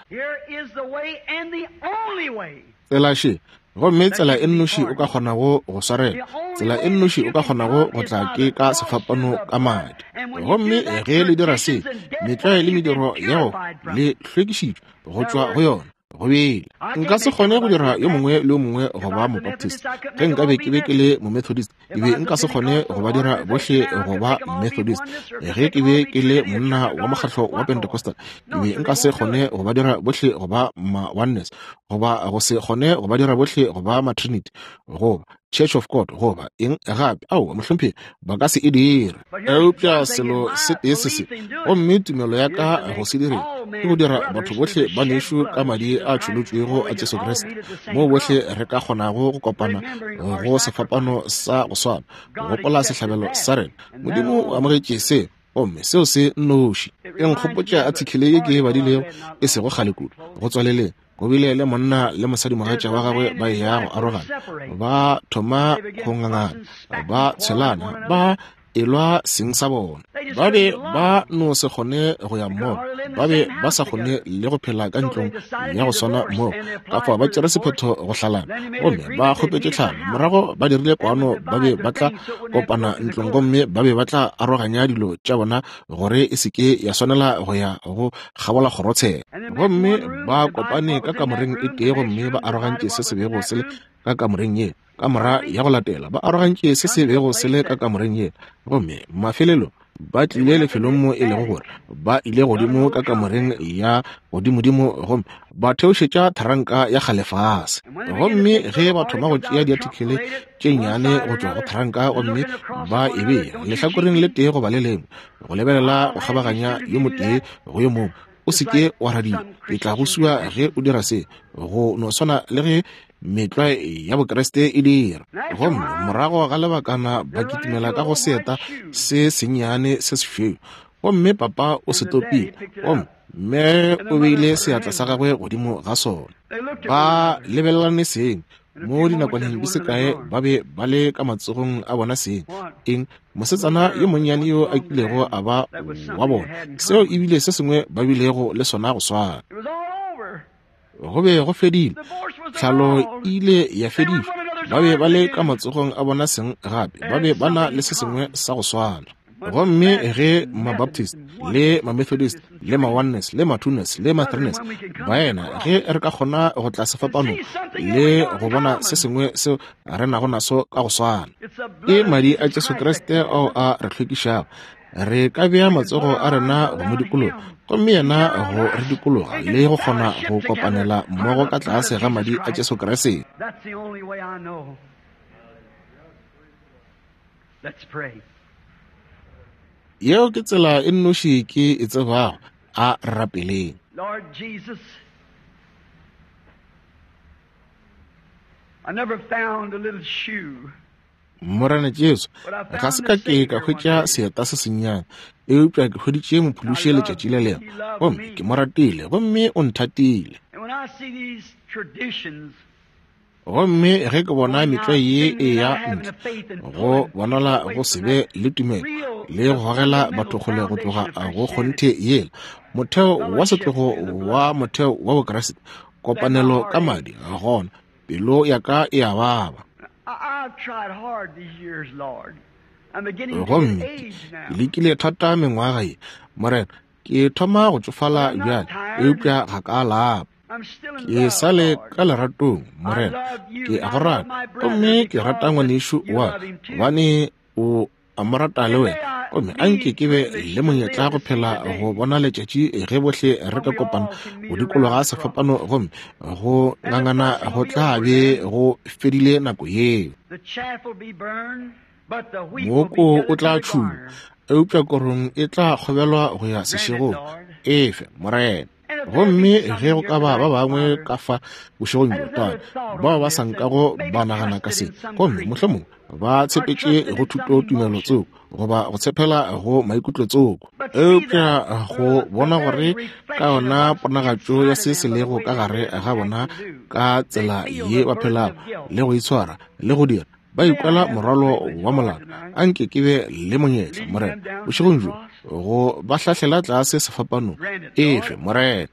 Tsela še, gomme tsela e nnoši o ka kgonago go swarela, tsela e nnoši o ka kgonago go tla ke ka sefapano ka madi. Gomme ge le dira se, metlwae le mediro ya go le hlwekišitšwe go tšwa go yona. Go bile. Nka se kgone go dira yo mongwe le yo mongwe go ba Mobaptist. Ge nka be ke be ke le Momethodist, ke be nka se kgone go ba dira bohle go ba Methodist. Ge ke be ke le monna wa mokgatlo wa Pentecostal, ke be nka se kgone go ba dira bohle go ba ma-Oneness, goba go se kgone go ba dira bohle go ba ma-Trinity, goba Church of God, goba eng gape. Aowa, mohlomphegi, ba ka se e dire. Eupša selo se tee se se, gomme tumelo ya ka go se direng, ke go dira batho bohle ba nešo ka madi a tšholotšwego a Jesu Kriste, moo bohle re ka kgonago go kopana go sefapano sa go swana, go gopola sehlabelo sa rena. Modimo o amogetše se, gomme seo se nnoši. E nkgopotša athikele ye ke e badilego e sego kgale kudu, go tswaleleng. Go bile le monna le mosadimogatša wa gagwe ba eya go arogana, ba thoma go ngangana, ba tshelana, ba elwa seng sa bona. Ba be ba no se kgone go ya mmogo, ba be ba sa kgone le go phela ka ntlong ya go swana mmogo. Ka fao ba tšere sephetho go hlalana, gomme ba kgopetše tlhalo. Morago ba dirile kwano, ba be ba tla kopana ntlong gomme ba be ba tla aroganya dilo tša bona gore e se ke ya swanela go ya go kgabola kgorotsheko. Gomme ba kopane ka kamoreng e tee gomme ba arogantše se se bego se le ka kamoreng ye. Kamora ya go latela ba arogantše se se bego se le ka kamoreng ye. Gomme mafelelong ba tlile lefelong mo e lego gore ba ile godimo ka kamoreng ya godimodimo gomme ba theošetša tharanka ya kgale fase. Gomme ge ba thoma go tšea diathikele tše nnyane go tšwa go tharanka gomme ba e bea lehlakoreng le tee goba le lengwe, go lebelela go kgabaganya yo motee go yo mongwe, o se ke wa radia, ke tla go sua ge o dira se, go no swana le ge metlwae ya Bokriste e dira. Gomme morago ga lebakana ba kitimela ka go seeta se sennyane se sešweu, gomme papa o se topile, gomme mme o beile seatla sa gagwe godimo ga sona. Ba lebelelane seng, mo dinakwaneng di se kae ba be ba le ka matsogong a bona seng. Eng? Mosetsana yo monnyane yo a kilego a ba wa bona, seo e bile se sengwe ba bilego le sona go swana. Go be go fedile, tlhalo e ile ya fedišwa. Ba be ba le ka matsogong a bona seng gape, ba be ba na le se sengwe sa go swana. Gomme ge Mabaptist le Mamethodist le Maoneness le Matwoness le Mathreeness, baena, ge re ka kgona go tla sefapanong le go bona se sengwe seo re nago naso ka go swana, ke madi a Jesu Kriste ao a re hlwekišago. Re ka bea matsogo a rena go mo dikologa, gomme yena go re dikologa le go kgona go kopanela mmogo ka tlase ga madi a Jesu Kriste. Yeo ke tsela e nnoši ke e tsebago. A re rapeleng. Lord Jesus, I never found a little shoe. Morena Jesu, ga se ka ke ka hwetša seeta se sennyane, eupša ke hweditše Mophološi letšatši le lengwe, gomme ke mo ratile, gomme o nthatile. And when I see these traditions Gomme ge ke bona metlwae ye e ya ntle, go bonala go se be le tumelo le go gogela batho kgole go tloga go kgonthe yela, motheo wa setlogo wa motheo wa Bokriste, kopanelo ka madi, gona pelo ya ka e a baba. Gomme ke lekile thata mengwaga ye, Morena, ke thoma go tšofala bjale, eupša ga ka lapa. Ke sa le ka leratong, Morena. Ke a go rata, gomme ke rata ngwanešu wa ka, gobane o a mo rata le wena. Gomme a nke ke be le monyetla go phela go bona letšatši ge bohle re ka kopana go dikologa sefapano, gomme go ngangana go tla be go fedile nako yeo. Mooko o tla tšhuma, eupša korong e tla kgobelwa go ya sešegong. Efe, Morena. Gomme ge go ka ba ba bangwe ka fa bošegong bjo, Tate, bao ba sa nkago ba nagana ka se, gomme mohlomongwe ba tshepetše go thuto tumelo tsoko goba go tshepela go maikutlo tsoko, eupša go bona gore ka yona ponagatšo ya se se lego ka gare ga bona ka tsela ye ba phelago le go itshwara le go dira, ba ikwela morwalo wa molato. A nke ke be le monyetla, Morena, bošegong bjo, go ba hlahlela tlase sefapanong. Efe, Morena.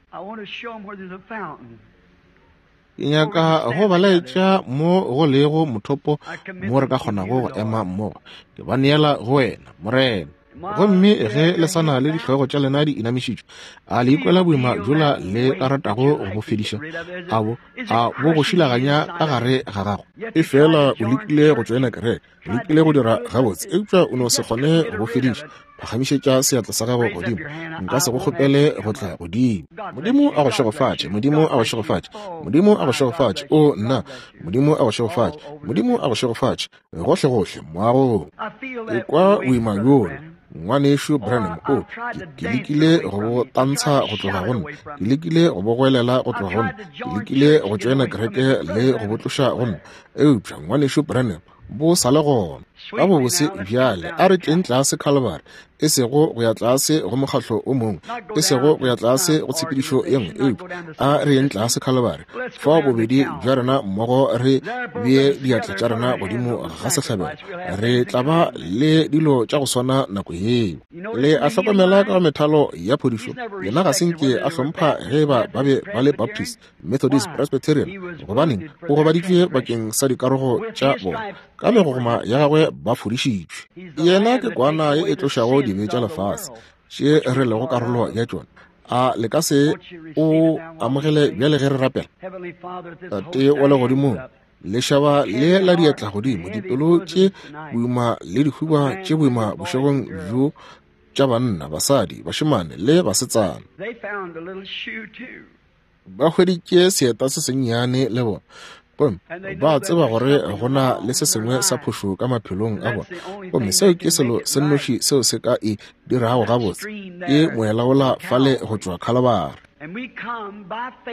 Ke nyaka go ba laetša mo go lego mothopo mo re ka kgonago go ema mmogo. Ke ba neela go wena, Morena. Gomme ge le sa na le dihlogo tša lena di inamišitšwe, a le ikwela boima bjola le ka ratago go bo fediša? A bo, a bo go šilaganya ka gare ga gago? Efela o lekile go tšoena kereke, o lekile go dira gabotse, eupša o no se kgone go bo fediša. Phagamišetša seatla sa gago godimo. Nka se go kgopele go tla godimo. Modimo a go šegofatše. Modimo a go šegofatše. Modimo a go šegofatše. O, nna. Modimo a go šegofatše. Modimo a go šegofatše. Gohlegohle moagong. Ke kwa boima bjola, Ngwanešu Branham. O, ke, ke lekile go bo tantsha go tloga go nna. Ke lekile go bo goelela go tloga go nna. Ke lekile go tšoena kereke le go bo tloša go nna. Eupša, Ngwanešu Branham, bo sa le gona. Ka bobose bjale, a re tleng tlase Calvary, e sego go ya tlase go mokgatlo o mongwe, e sego go ya tlase go tshepedišo ye nngwe, eupša a re yeng tlase Calvary, fao bobedi bja rena mmogo re bee diatla tša rena godimo ga sehlabelo. Re tla ba le dilo tša go swana nako yeo. Le a hlokomela ka go methalo ya phodišo, yena ga se nke a hlompha ge eba ba be ba le Baptist, Methodist, Presbyterian. Gobaneng? O gobaditšwe bakeng sa dikarogo tša bona. Ka megogoma ya gagwe ba fodišitšwe. Yena ke kwana ye e tlošago dibe tša lefase, tše re lego karolo ya tšona. A le ka se o amogele bjale ge re rapela? Tate wa legodimong, lešaba le la diatla godimo, dipelo tše boima le dihuba tše boima bošegong bjo tša banna, basadi, bašemane le basetsana. Ba hweditše seeta se sennyane le bona, gomme ba tseba gore go na le se sengwe sa phošo ka maphelong a bona, gomme seo ke selo se nnoši seo se ka e dirago gabotse, ke moelaola fale go tšwa Khalabari.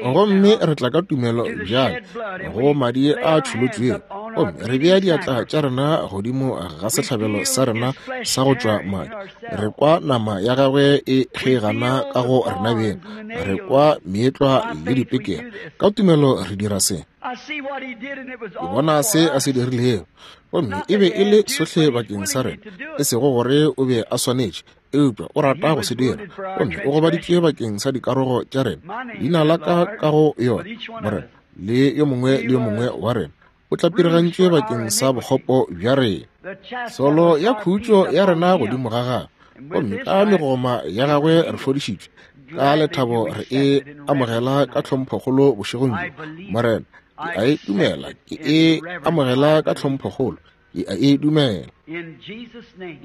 Gomme re tla ka tumelo bjale go madi a tšholotšwego, gomme re bea diatla tša rena godimo ga sehlabelo sa rena sa go tšwa madi. Re kwa nama ya gagwe e kgeigana ka go rena beng, re kwa meetlwa le dipekere. Ka tumelo re dira se. Ke bona se a se dirilego, gomme e be e le sohle bakeng sa rena, e sego gore o be a swanetše, eupša o rata go se dira, gomme o gobaditšwe bakeng sa dikarogo tša rena. Leina la ka ka go yona, Morena, le yo mongwe le yo mongwe wa rena. O tlapirigantšwe bakeng sa bokgopo bja rena. Solo ya khutšo ya rena godimo ga gagwe, gomme ka megoma ya gagwe re fodišitšwe. Ka lethabo re e amogela ka tlhomphokgolo bošegong bjo. Morena, ke a e dumela, ke e amogela ka tlhomphokgolo, ke a e dumela.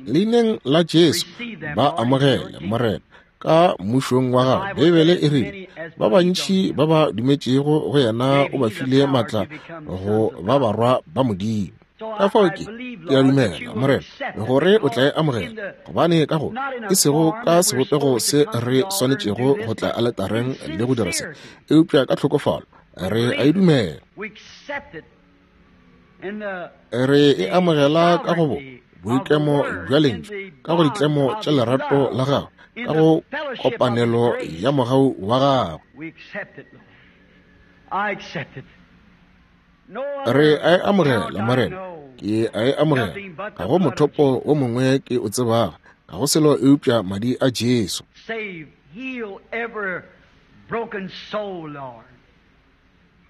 Leineng la Jesu, ba amogele, Morena, ka mmušong wa gago. Beibele e rile, ba bantši ba ba dumetšego go yena o ba file maatla go ba barwa ba Modimo. Ka fao ke a dumela, Morena, gore o tla e amogela, gobane ka go e sego ka sebopego se re swanetšego go tla aletareng le go dira se, eupša ka tlhokofalo re a e dumela. Re e amogela ka go boikemo bja lentšu, ka go ditlemo tša lerato la gago, ka go kopanelo ya mogau wa gago. Re a e amogela, Morena, ke a e amogela. Ga go mothopo o mongwe ke o tsebago, ga go selo eupša madi a Jesu.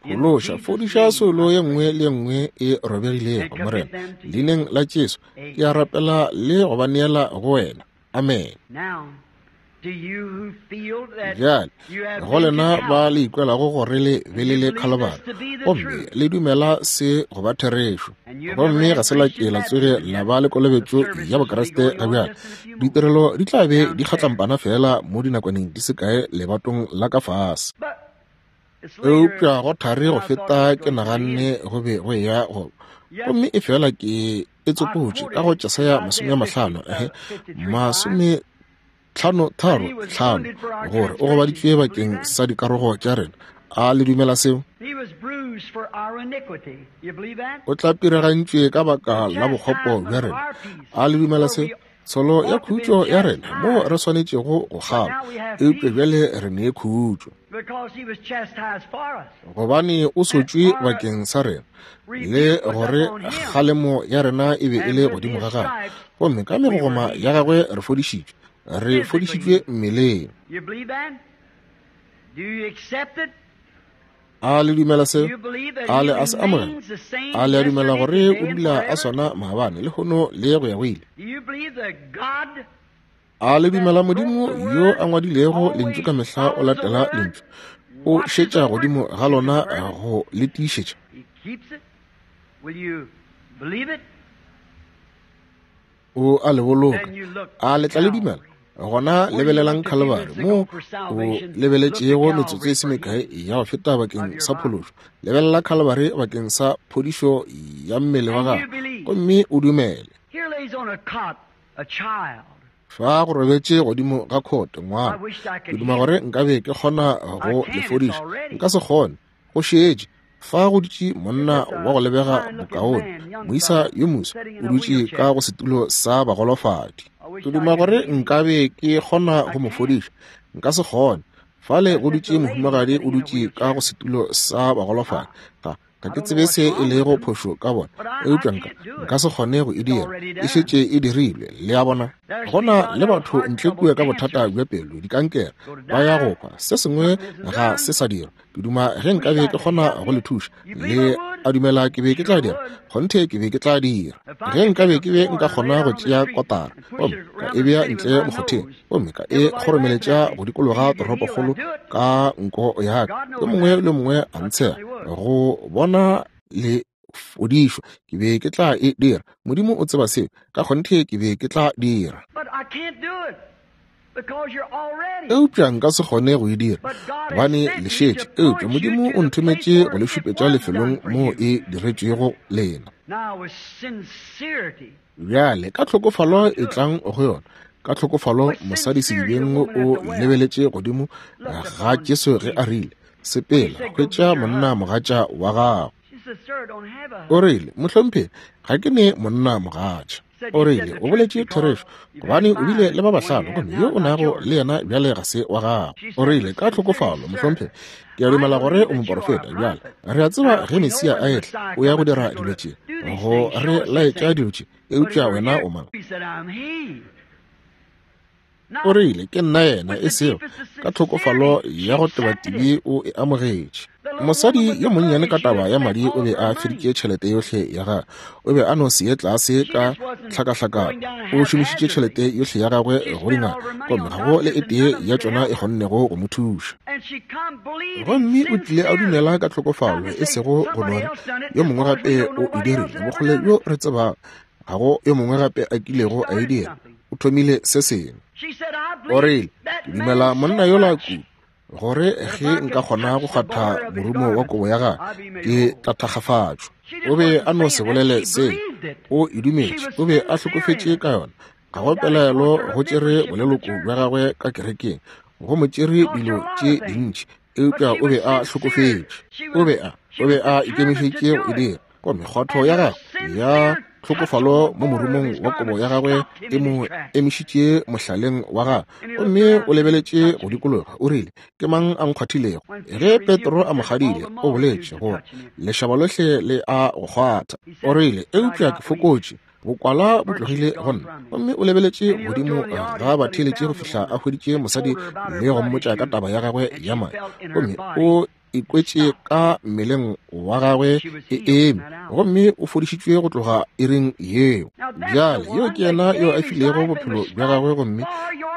Phološa, fodiša soulo ye nngwe le ye nngwe e robegilego, Morena. Leineng la Jesu, ke a rapela le go ba neela go wena. Amen. Bjale, go lena ba le ikwelago gore le be le le Khalibari, gomme le dumela se go ba therešo, gomme ga se la ke la tsoge la ba le kolobetšo ya Bokriste ga bjale, ditirelo di tla be di kgatlampana fela mo dinakwaneng di se kae lebatong la ka fase. Eupša go thari go feta ke naganne go be go eya go, gomme e fela ke e tsopotše ka go Jesaya 55, 53:5, gore o gobaditšwe bakeng sa dikarogo tša rena. A le dumela seo? O tlapirigantšwe ka baka la bokgopo bja rena. A le dumela seo? Tsholo ya khutšo ya rena moo re swanetšego go kgaba, eupša bjale re ne khutšo, gobane o sotšwe bakeng sa rena, le gore kgalemo ya rena e be e le godimo ga gagwe, gomme ka megogoma ya gagwe re fodišitšwe, re fodišitšwe mmeleng. A le dumela seo? A le a se amogela? A le a dumela gore o dula a swana maabane, lehono le go ya go ile? A le dumela Modimo yo a ngwadilego lentšu ka mehla o latela lentšu, o šetša godimo ga lona go le tiišetša? O a le boloka. A le tla le dumela? Gona lebelelang Khalibari, mo o lebeletšego metsotso e se mekae ya go feta bakeng sa phološo. Lebelela Khalibari bakeng sa phodišo ya mmele wa gago, gomme o dumele. Fa go robetše godimo ga khote ngwana, ke duma gore nkabe ke kgona go le fodiša, nka se kgone, go šetše. Fa go dutše monna wa go lebega bokaone, moisa yo moso, o dutše ka go setulo sa bagolofadi. Ke duma gore nkabe ke kgona go mo fodiša, nka se kgone. Fale go dutše mohumagadi o dutše ka go setulo sa bagolofadi. Ga ke tsebe se e lego phošo ka bona, eupša nka se kgone go e dira, e šetše e dirilwe. Le a bona? Gona le batho ntle kua ka bothata bja pelo, dikankere, ba ya go hwa, se sengwe ga se sa dirwa. Ke duma ge nkabe ke kgona go le thuša. Le a dumela ke be ke tla dira? Kgonthe ke be ke tla dira. Ge nkabe ke be nka kgona go tšea kotara, gomme ka e bea ntle mokgotheng, gomme ka e kgoromeletša go dikologa toropokgolo ka nko ya ka, yo mongwe le mongwe a ntshega go bona le fodišwa, ke be ke tla e dira. Modimo o tseba seo. Ka kgonthe ke be ke tla dira. Eupša nka se kgone go e dira, gobane le šetše. Eupša Modimo o nthometše go le šupetša lefelong moo e diretšwego lena. Bjale ka tlhokofalo e tlang go yona. Ka tlhokofalo mosadi sedibeng o lebeletše godimo ga Jesu ge a rile, sepela, hwetša monna mogatša wa gago. O rile, mohlomphegi, ga ke ne monna mogatša. O rile, o boletše therešo, gobane o bile le ba bahlano, gomme yo o nago le yena bjale ga se wa gago. O rile, ka tlhokofalo, mohlomphegi, ke a dumela gore o moporofeta. Bjale re a tseba ge Mesia a etla, o ya go dira dilo tše, go re laetša dilo tše, eupša wena o mang? O rile, Ke nna yena, e sego ka tlhokofalo ya go tebatibi o e amogetše. Mosadi yo monnyane ka taba ya madi o be a feditše tšhelete yohle ya gagwe. O be a no se ye tlase ka tlhakahlakano. O šomišitše tšhelete yohle ya gagwe go dingaka, gomme ga go le e tee ya tšona e kgonnego go mo thuša. Gomme o tlile a dumela ka tlhokofalo, e sego go no re yo mongwe gape o e dirile, bokgole bjo re tsebago, ga go yo mongwe gape a kilego a e dira. O thomile se sengwe. O rile, Ke dumela monna yola kudu, gore ge nka kgona go kgwatha morumo wa kobo ya gagwe, ke tla thakgafatšwa. O be a no se bolele se. O e dumetše. O be a hlokofetše ka yona. Ga go pelaelo go tšere boleloko bja gagwe ka kerekeng, go mo tšere dilo tše dintši, eupša o be a hlokofetše. O be a, o be a ikemišetše go e dira. Gomme kgwatho ya gagwe ya tlhokofalo mo morumong wa kobo ya gagwe e mo emišitše mohlaleng wa gagwe, gomme o lebeletše go dikologa, o rile, Ke mang a nkgwathilego? Ge Petro a mo kgadile, o boletše gore lešaba lohle le a go kgwatha. O rile, Eupša ke fokotše, bokwala bo tlogile go nna. Gomme o lebeletše godimo ga batheeletše go fihla a hweditše mosadi le go mmotša ka taba ya gagwe ya madi, gomme o ikwetše ka mmeleng wa gagwe e eme, gomme o fodišitšwe go tloga iring yeo. Bjale yo ke yena yo a filego bophelo bja gagwe, gomme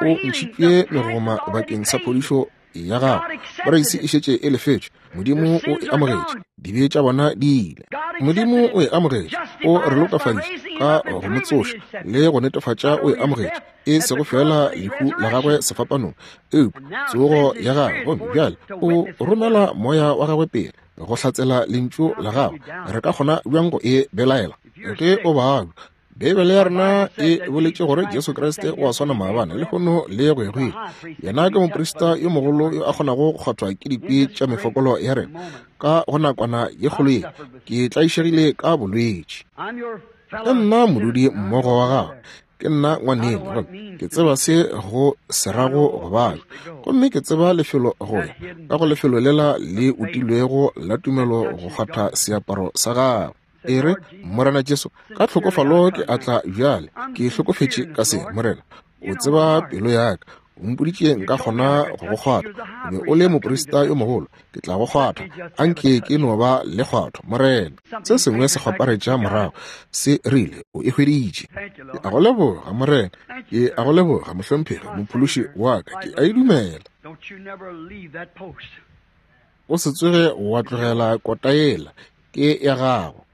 o ntšhitšwe megoma bakeng sa phodišo ya gagwe. Poreisi e šetše e lefetšwe. Modimo o e amogetše. Dibe tša bona di ile. Modimo o e amogetše. O re lokafaditše ka go mo tsoša le go netefatša o e amogetše, e sego feela lehu la gagwe sefapanong, eupša tsogo ya gagwe. Gomme bjale o romela moya wa gagwe pele go hlatsela lentšu la gagwe. Re ka kgona bjang go e belaela? Ge o babja, Beibele ya rena e boletše gore Jesu Kriste o a swana maabane, lehono le go ya go ile. Yena ke moprista yo mogolo yo a kgonago go kgwathwa ke dikwi tša mefokolo ya rena. Ka go nakwana ye kgolo ye, ke tlaišegile ka bolwetši. Ke nna modudi mmogo wa gago, ke nna ngwaneno, gomme ke tseba se go se rago go babja, gomme ke tseba lefelo go ya ka go lefelo lela le utilwego la tumelo go kgwatha seaparo sa gagwe. E re, Morena Jesu, ka tlhokofalo ke a tla bjale. Ke hlokofetše ka se, Morena. O tseba pelo ya ka. O mpoditše nka kgona go go kgwatha. O be o le moprista yo mogolo. Ke tla go kgwatha. Anke ke no ba le kgwatho, Morena. Se sengwe se kgwaparetša morago, se rile, O e hweditše. Ke a go leboga, Morena. Ke a go leboga, Mohlomphegi, Mophološi wa ka. Ke a e dumela. O se tsoge wa tlogela kota yela. Ke ya gago.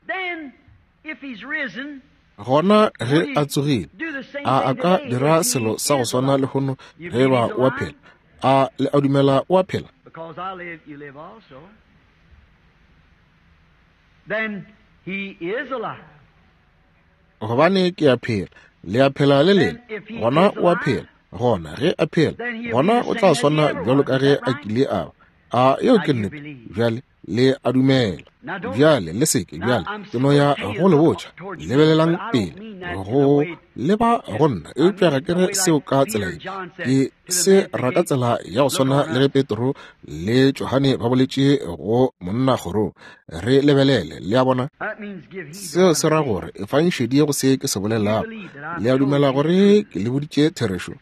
Gona ge a tsogile, a a ka dira selo sa go swana lehono ge ba o a phela? A le a dumela o a phela? Gobane ke a phela, le a phela le lena, gona o a phela. Gona ge a phela, gona o tla swana bjalo ka ge a kile a ba. A yeo ke nnete? Bjale le a dumela. Bjale le seke, bjale ke no ya go le botša, lebelelang pele go leba go nna, eupša ga ke re seo ka tsela ye. Ke se ra ka tsela ya go swana le ge Petro le Johane ba boletše go monna kgorong. Re lebelele, le a bona? Seo se ra gore efang šedi go se ke se bolelago. Le a dumela gore ke le boditše therešo?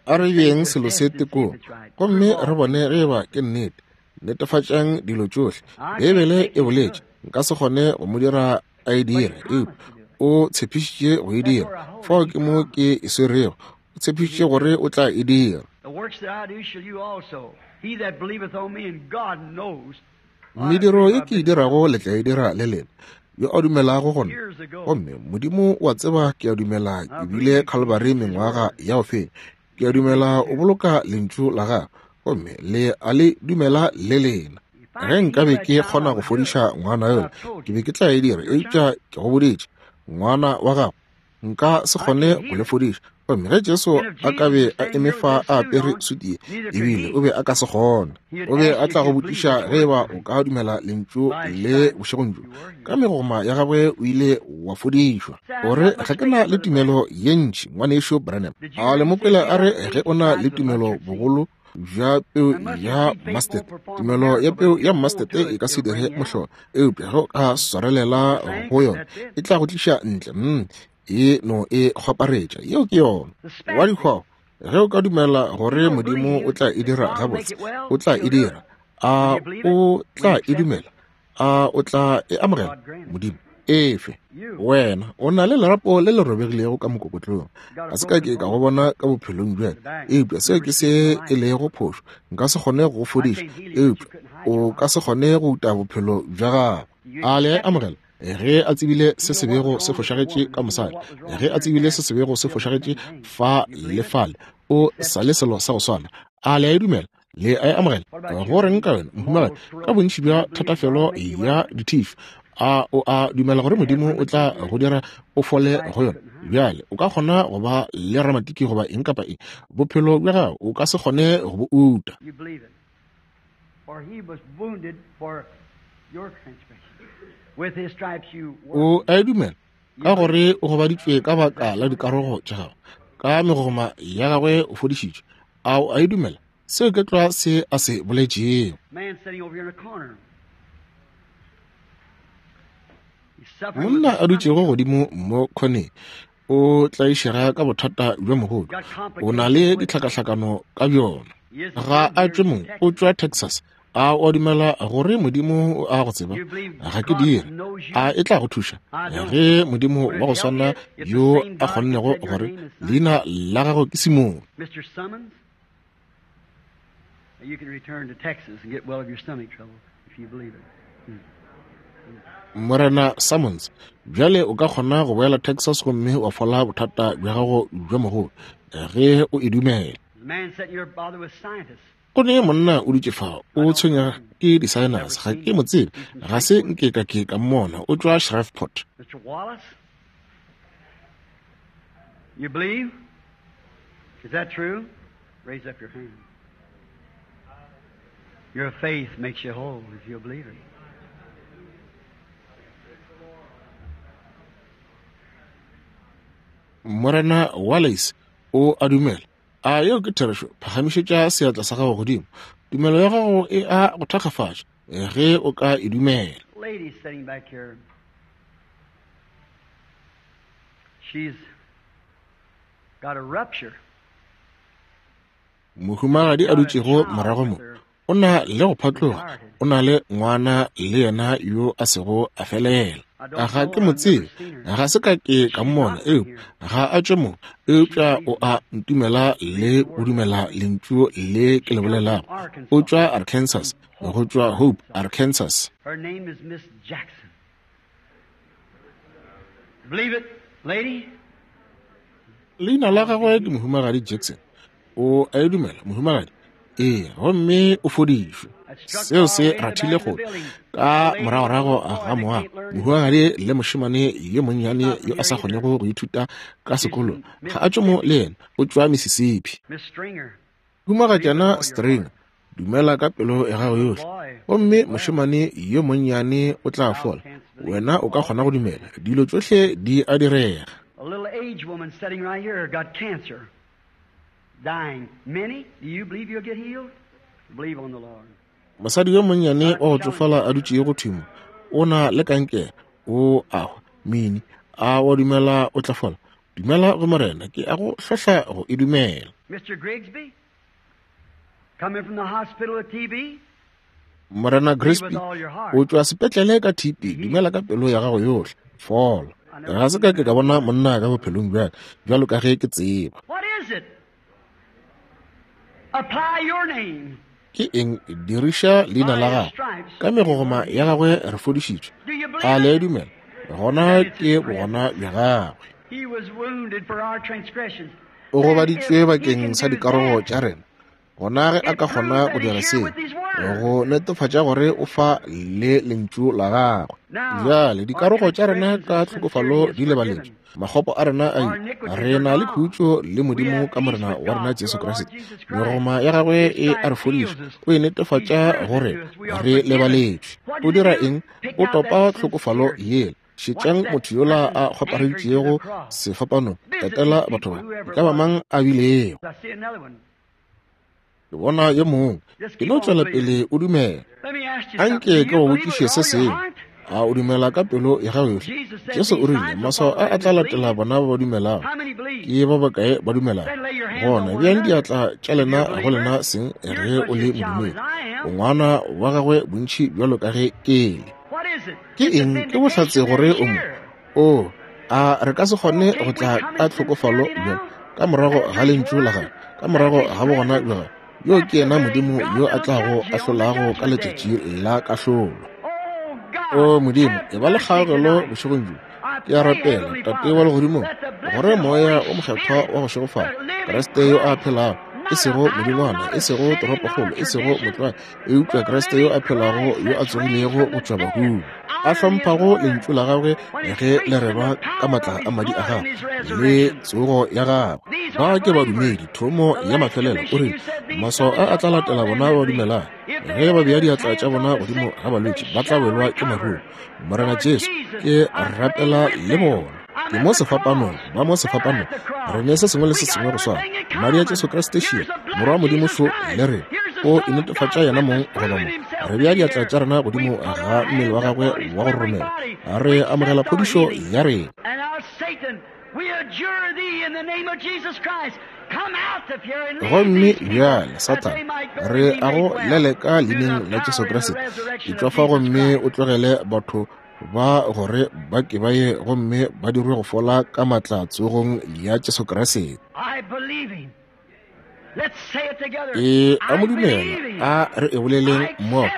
A re beeng selo se tekong gomme re bone ge eba ke nnete. Netefatšang dilo tšohle. Beibele e boletše, nka se kgone go mo dira a e dire, eupša o tshepišitše go e dira. Fao ke mo ke e swerego. O tshepišitše gore o tla e dira. Mediro ye ke e dirago le tla e dira le lena, yo a dumelago go nna. Gomme Modimo o a tseba ke a dumela ke bile Calvary mengwaga ya go feta. Ke a dumela o boloka lentšu la gagwe, gomme le a le dumela le lena. Ge nkabe ke kgona go fodiša ngwana yola, ke be ke tla e dira, eupša ke go boditše, ngwana wa gago, nka se kgone go le fodiša. Gomme ge Jesu a ka be a eme fa a apere suti ye, ebile o be a ka se kgone. O be a tla go botšiša ge eba o ka dumela lentšu le bošegong bjo. Ka megoma ya gagwe o ile wa fodišwa. O re, Ga ke na le tumelo ye ntši, Ngwanešu Branham. A le mo kwele a re, Ge o na le tumelo bogolo bja peu ya mustard, tumelo ya peu ya mustard e ka se dire mohlolo, eupša ge o ka swarelela go yona, e tla go tliša ntle. E no e kgwaparetša. Yeo ke yona. Wa dikgwao. Ge o ka dumela gore Modimo o tla e dira gabotse, o tla e dira. A o tla e dumela? A o tla e amogela? Modimo efe. Wena o na le lerapo le le robegilego ka mokokotlong. Ga se ka ke ka go bona ka bophelong bja ka, eupša seo ke se e lego phošo. Nka se kgone go go fodiša, eupša o ka se kgone go uta bophelo bja gago. A le a e amogela? Ge a tsebile se se bego se fošagetše ka mosadi, ge a tsebile se se bego se fošagetše fa le fale, o sa le selo sa go swana. A le a e dumela? Le a e amogela? Go reng ka wena, mohumagadi, ka bontši bja thatafelo ya dithišo? A o a dumela gore Modimo o tla go dira o fole go yona? Bjale o ka kgona go ba le ramatiki goba eng kapa eng, bophelo bja gago o ka se kgone go bo uta. You believe it. For he was wounded for your transgression. With his stripes you were. O a e dumela, ka gore o gobaditšwe ka baka la dikarogo tša gago, ka megogoma ya gagwe o fodišitšwe. A o a e dumela? Seo ke tlwa se a se boletšego. Man sitting over here in a corner. He's suffering with Monna a a dutšego stomach godimo mo khoneng o tlaišega ka bothata bja mogodu. O na le ditlhakahlakano ka bjona. He isn't Ga from a here, tšwe he's mo, from o Texas. tšwa Texas. A o a dumela gore Modimo o a go tseba? You believe Ga ke God dire. knows you? A e tla go thuša? I don't. Ge Modimo Would wa it go help swana you if the yo same a God that kgonnego said your gore name is Simon? leina la gago ke Simone. Mr. Summons, you can return to Texas and get well of your stomach trouble if you believe it. Morena Summons, bjale o ka kgona go boela Texas gomme wa fola bothata bja gago bja mogodu ge o e dumela. The man sitting here bothered with scientists. Go ne monna o dutše fa, o tshwenya ke di-sinus. Ga ke mo tsebe, ga se nke ka ke ka mmona. O tšwa Shreveport. Mr. Wallace, you believe? Is that true? Raise up your hand. Your faith makes you whole if you believe it. Morena Wallace o a dumela. A yeo ke therešo? Phagamišetša seatla sa gago godimo. Tumelo ya gago e a go thakgafatša ge o ka e dumela. Lady sitting back here, she's got a rupture. Mohumagadi a Got a dutšego child morago with mo her. o na le go phatloga, o na le ngwana le yena yo a sego a felela. I don't Ga know ke her. mo I've never tsebe, seen her. ga se ka ke ka She's mmona, not from eupša here. ga a tšwe mo, She eupša believes o me. a ntumela le go dumela lentšu le ke She le comes from bolelago. O Arkansas, tšwa Arkansas, from go Hope, tšwa Hope, Arkansas. Arkansas. Her name is Miss Jackson. Believe it, lady? Leina la God can gagwe ke heal. Mohumagadi Jackson. O a e dumela, mohumagadi? Ee, gomme o fodišwe. That struck Seo far se away in the back rathile of the go building. ka A lady with a moragorago little boy ga that moago. can't learn his Mohumagadi le mošemane yo She's monnyane not from yo a here sa either. kgonego go ithuta ka She's sekolong from ga a tšwe mo Mississippi. le yena, o tšwa Mississippi. Miss Stringer, believe with Humagatšana all your String, heart. dumela ka pelo ya gago Little yohle, boy gomme will get well. mošemane yo monnyane o tla Thou fola. canst believe. Wena o ka All kgona go things dumela, dilo tšohle di a direga. A little aged woman sitting right here got cancer, dying. Many, do you believe you'll get healed? Believe on the Lord. Mosadi yo monnyane God wa go challenge tšofala a you. dutšego thimo o na le kankere, o a hwa. Mini, a wa dumela o tla fola? Dumela go Morena, ke a go hlohla go e dumela. Mr. Grigsby, coming from the hospital with TB, Morena believe with Grigsby, all your o heart. tšwa sepetlele ka TB, Be dumela healed. ka pelo ya gago yohle, fola. I never Ga se seen ka a ke ka man bona before. monna ka bophelong bja ka, bjalo ka ge ke tseba. What is it? Apply your name. Ke eng? Diriša leina By la his gagwe. stripes Ka you megogoma were ya healed. gagwe re fodišitšwe. Do you A believe le a it? dumela? Gona That it's ke his bogona presence. bja gagwe. He was wounded for our transgressions. O Then if gobaditšwe he bakeng can sa do dikarogo that, tša rena. Gona ge a it ka proves kgona go that dira he's here seo, with his word. go netefatša gore o fa le lentšu la gagwe. Now, Bjale our dikarogo tša rena transgressions ka and tlhokofalo sincerity is di lebaletšwe, forgiven. makgopo a rena a Our ile. iniquities Re are na le gone. khutšo le We Modimo have ka peace Morena with wa rena God Jesu through our Lord Kriste. Jesus Christ. Megogoma ya gagwe His e a re stripes fodiša, heals us. o e He netefatša proves it gore to us. We are re forgiven. lebaletšwe. What O did he dira do? eng? Pick O out topa that tlhokofalo sincerity. yela. Watch Šetšang that motho yola person a anchored to the kgwapareditšego cross. sefapanong. Visit these Etela people, batho ba, e whoever ka it ba was. mang a bilego. I see another one. Ke bona yo mongwe. Just Ke keep no on tšwela believing. pele o dumela. Let me ask you something. Anke Do ke you go believe botšiše with se all your sengwe. heart? A o dumela ka pelo ya gago yohle? Jesu o rile, maswao a a tla latela bona ba ba dumelago. Ke ba bakae ba dumelago? Gona beang diatla tša lena go lena seng ge o le modumedi. O ngwana wa gagwe bontši bjalo ka ge ke le. Ke eng? Ke bohlatse gore o mo. O a re ka se kgone go tla ka tlhokofalo bjalo ka morago ga lentšu la gagwe, ka morago ga bogona bja gagwe. Yo ke yena Modimo yo a tlago ahlolago ka letšatši la kahlolo. O Modimo, e ba le kgaogelo bošegong bjo. Ke a rapela, Tate wa Legodimong, gore Moya o Mokgethwa wa go šegofala, Kriste yo a phelago, e sego modingwana, e sego toropokgolo, e sego motlwae, eupša Kriste yo a phelago yo a tsogilego go tšwa bahung, a hlomphago lentšu la gagwe ge le rerwa ka matla a madi a gagwe le tsogo ya gagwe. Ba ke badumedi, thomo ya mafelelo. O rile, Maswao a a tla latela bona ba dumelago. Ge ba bea diatla tša bona godimo ga balwetši, ba tla welwa ke maruru. Morena Jesu, ke rapela le bona. Ke mo sefapanong, ba mo sefapanong. Re ne se sengwe le se sengwe go swana. Madi a Jesu Kriste šia, Morwa wa Modimo šo le rena. O inetefatša yena mong goba mo. Re bea diatla tša rena godimo ga mmele wa gagwe wa go roromela. Re amogela phodišo ya rena. Gomme bjale, Sathane, re a go leleka leineng la Jesu Kriste. Etšwa fa gomme o tlogele batho ba gore ba ke ba ye gomme ba dirwe go fola ka matla tsogong ya Jesu Kriste. Ke a mo dumela, a re e boleleng mmogo.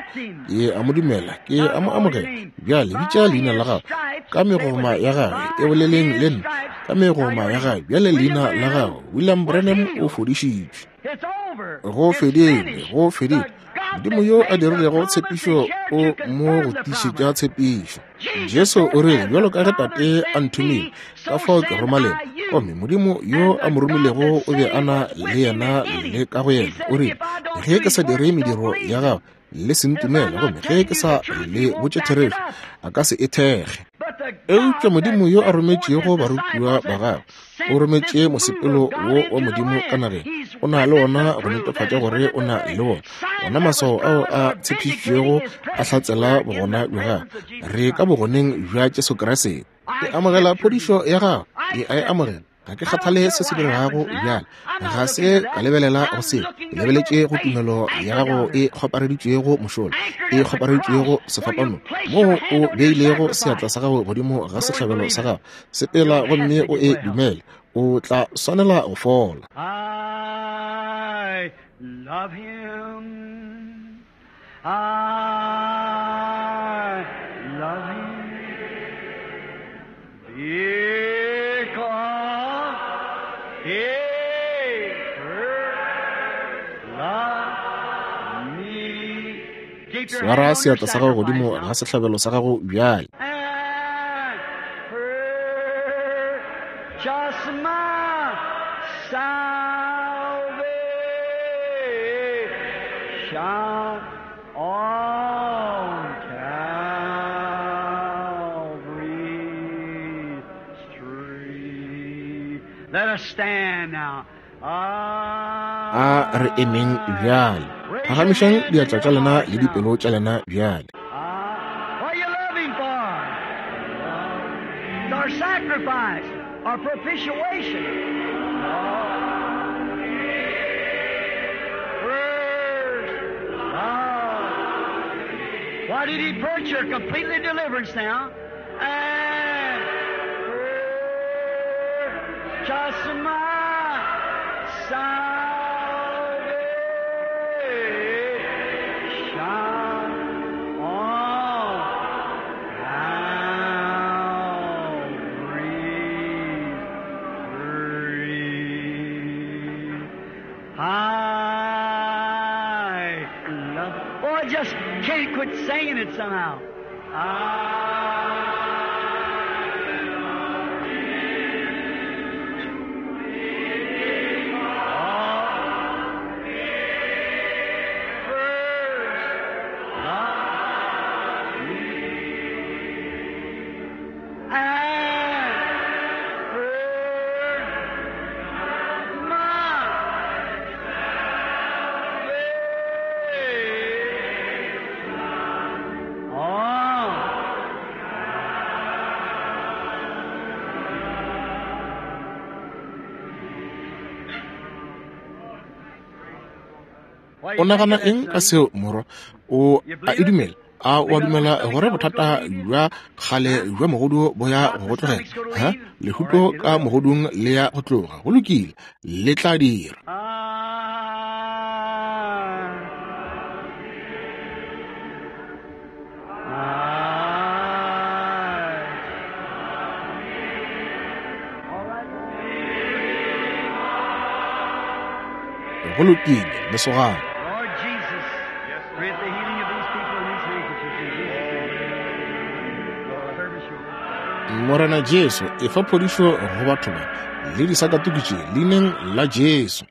Ke a mo dumela, ke a mo amogela. Bjale bitša leina la gago ka megoma ya gagwe, e boleleng le nna ka megoma ya gagwe. Bjale leina la gago, William Branham, o fodišitšwe. Go fedile, go fedile. Modimo yo a dirilego tshepišo o mo go tiišetša tshepišo. Jesu o rile, bjalo ka ge Tate a nthomile, ka fao ke roma lena. Gomme Modimo yo a mo romilego o be a na le yena le ka go yena. O rile, ge ke sa dire mediro ya gagwe, le se ntumele, gomme ge ke sa le botše therešo, a ka se e thekge. Eupša Modimo yo a rometšego barutiwa ba gagwe, o rometše mosepelo wo wa Modimo ka nageng, o na le ona go netefatša gore o na le bona. Ona maswao ao a tshepišitšwego a hlatsela bogona bja gagwe. Re ka bogoneng bja Jesu Kriste. Ke amogela phodišo ya gago, ke a e amogela. Ga ke kgathale se se diregago bjale, ga se ka lebelela go seo. Ke lebeletše go tumelo ya gago e kgopareditšwego mošola, e kgopareditšwego sefapanong, moo o beilego seatla sa gago godimo ga sehlabelo sa gago. Sepela gomme o e dumele, o tla swanela go fola. I love him. I love him. Because he first loved me. Keep your Swara hand on your seatla sa gago sacrifice godimo now. ga sehlabelo sa gago bjale. And purchase my salvation on Calvary's tree. Let us stand now. A re emeng bjale. Phagamišang diatla tša lena le dipelo tša lena bjale. What you love him for? It's our sacrifice, our propitiation. First love. Why did he purchase your completely deliverance now? And purchase my salvation on Calvary's tree. I love. Oh, I just can't quit singing it somehow. I Oh, O nagana eng ka seo, morwa? O a e dumela? A o a dumela gore bothata bja kgale bja mogodu bo ya go go tlogela? Ha? Lehuto ka mogodung le ya go tloga. Go lokile, le tla dira. Go lokile, lesogana. Lord Jesus, grant the healing of these people in these handkerchiefs in Jesus' name. Service yours. Morena Jesu, efa phodišo go batho ba le disakatuku tše leineng la Jesu.